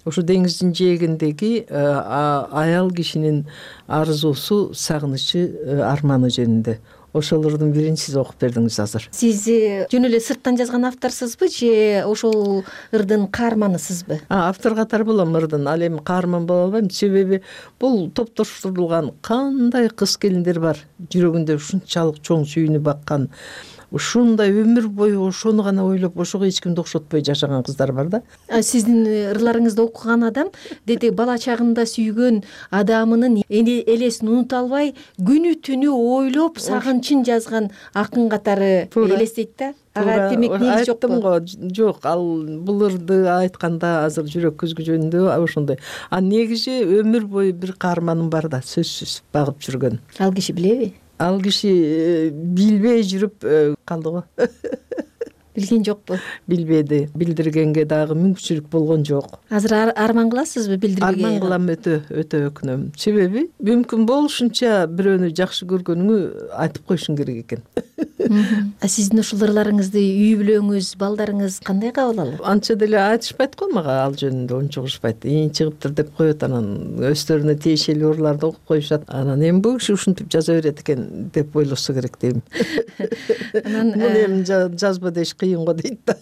Ошо деңиздин жээгиндеги аял кишинин арзуусу, сагынычы, арманы жөнүндө. Ошол ырдын бирин сиз окуп бердиңиз азыр. Сиз жөн эле сырттан жазган авторсузбу же ошол ырдын каарманысызбы? Автор катары болом ырдын, ал эми каарман боло албайм. Себеби бул топтоштурулган кандай кыз келиндер бар, жүрөгүндө ушунчалык чоң сүйүүнү баккан, ушундай өмүр бою ошону гана ойлоп, ошого эч кимди окшотпой жашаган кыздар бар да. Сиздин ырларыңызды окуган адам деди бала чагында сүйгөн адамынын элесин унута албай, күнү түнү ойлоп, сагынчын жазган акын катары элестейт да. Ага демек негиз жокпу? Айттым го, жок, ал бул ырды айтканда азыр жүрөк күзгү жөнүндө ошондой. А негизи өмүр бою бир каарманым бар да, сөзсүз багып жүргөн. Ал киши билеби? Ал киши билбей жүрүп калды го. Билген жокпу? Билбеди. Билдиргенге дагы мүмкүнчүлүк болгон жок. Азыр арман кыласызбы билдирбеге? Арман кылам, өтө, өтө өкүнөм. Себеби мүмкүн болушунча бирөөнү жакшы көргөнүңү айтып коюшуң керек экен. Сиздин ушул ырларыңызды үй бүлөңүз, балдарыңыз кандай кабыл алат? Анча деле айтышпайт го мага ал жөнүндө, унчугушпайт. Ийин чыгыптыр деп коет, анан өздөрүнө тиешелүү ырларды окуп коюшат. Анан эми бул киши ушинтип жаза берет экен деп ойлосо керек дейм. Анан муну эми жазба деш кыйын го дейт да.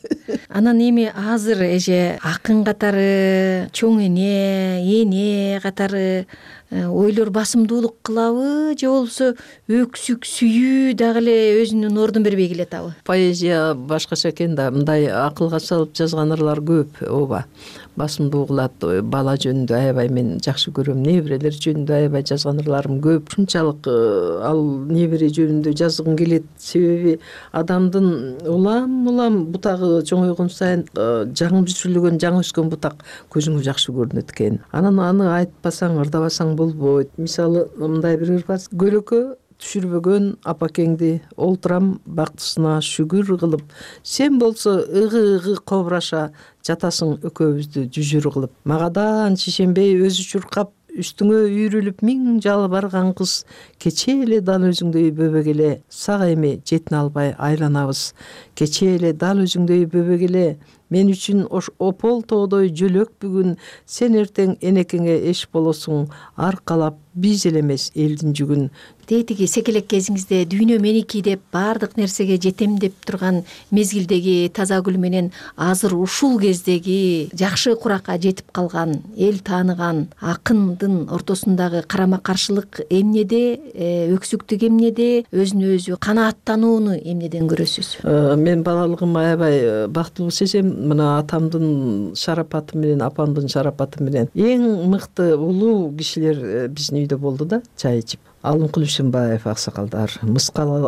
Анан эми азыр эже акын катары, чоң эне, эне катары ойлор басымдуулук кылабы же болбосо өксүк сүйүү дагы эле өзүнүн ордун бербей келатабы? Поэзия башкача экен да, мындай акылга салып жазган ырлар көп, ооба. Басымдуу кылат, бала жөнүндө аябай мен жакшы көрөм, неберелер жөнүндө аябай жазган ырларым көп. Ушунчалык ал небере жөнүндө жазгым келет, себеби адамдын улам улам бутагы чоңойгон сайын жаңы бүсүрүлгөн, жаңы өскөн бутак көзүңө жакшы көрүнөт экен. Анан аны айтпасаң, ырдабасаң болбойт. Мисалы, мындай бир ыр бар. Көлөкө түшүрбөгөн апакеңди, олтурам бактысына шүгүр кылып, сен болсо ыгы-ыгы кобураша жатасың экөөбүздү жүжүр кылып. Магадан шишенбей өзү чуркап үстүңө үйрүлүп миң жалы барган кыз кечээ эле дал өзүңдөй бөбөк эле сага эми жетине албай айланабыз. Кечээ эле дал өзүңдөй бөбөк эле мен үчүн опол тоодой жөлөк бүгүн сен эртең энекеңе эш болосуң аркалап биз эле эмес элдин жүгүн. Тетиги секелек кезиңизде дүйнө меники деп баардык нерсеге жетем деп турган мезгилдеги таза гүл менен азыр ушул кездеги жакшы куракка жетип калган эл тааныган акындын ортосундагы карама каршылык эмнеде, өксүктүк эмнеде, өзүнө өзү канааттанууну эмнеден көрөсүз? Мен балалыгым аябай бактылуу сезем. Мына атамдын шарапаты менен апамдын шарапаты менен эң мыкты улуу кишилер биздин үйдө болду да, чай ичип. Алымкул Ишимбаев аксакалдар, Мыскал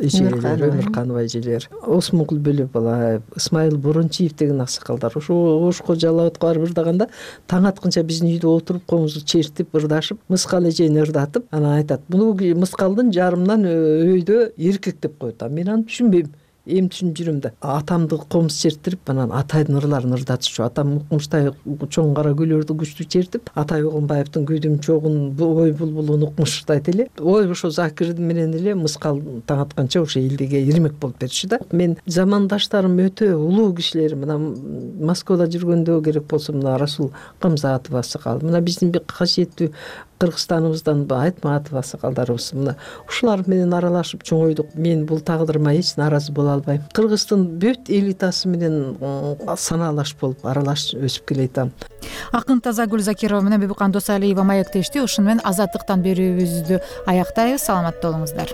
эжелер, Өмүрканова эжелер, Осмонкул Бөлөбалаев, Ысмайыл Борончиев деген аксакалдар ошо ошко жалабатка барып ырдаганда таң атканча биздин үйдө отуруп комузду чертип ырдашып, Мыскал эжени ырдатып, анан айтат: "Муну Мыскалдын жарымынан өйдө эркек деп коет". Мен аны түшүнбөйм. Эми түшүнүп жүрөм да. Атамды комуз чертирип, анан атайдын ырларын ырдатчу. Атам укмуштай чоң кара гүлөрдү күчтүү чертип, Атай Огонбаевдин күйдүм чогун ой булбулун укмуштайт эле. Ой ошо Закир менен эле Мыскал таң атканча ошо элдиге ирмек болуп берчү да. Мен замандаштарым өтө улуу кишилер. Мына Москвада жүргөндө керек болсо мына Расул Камзатов аксакал, мына биздин бир касиеттүү Кыргызстаныбыздан Айтматов аксакалдарыбыз, мына ушулар менен аралашып чоңойдук. Мен бул тагдырыма эч нааразы боло албайм. Кыргыздын бүт элитасы менен санаалаш болуп аралашып өсүп келатам. Акын Тазагүл Закирова менен Бибикан Досалиева маектешти. Ушуну менен азаттыктан берүүбүздү аяктайбыз. Саламатта болуңуздар.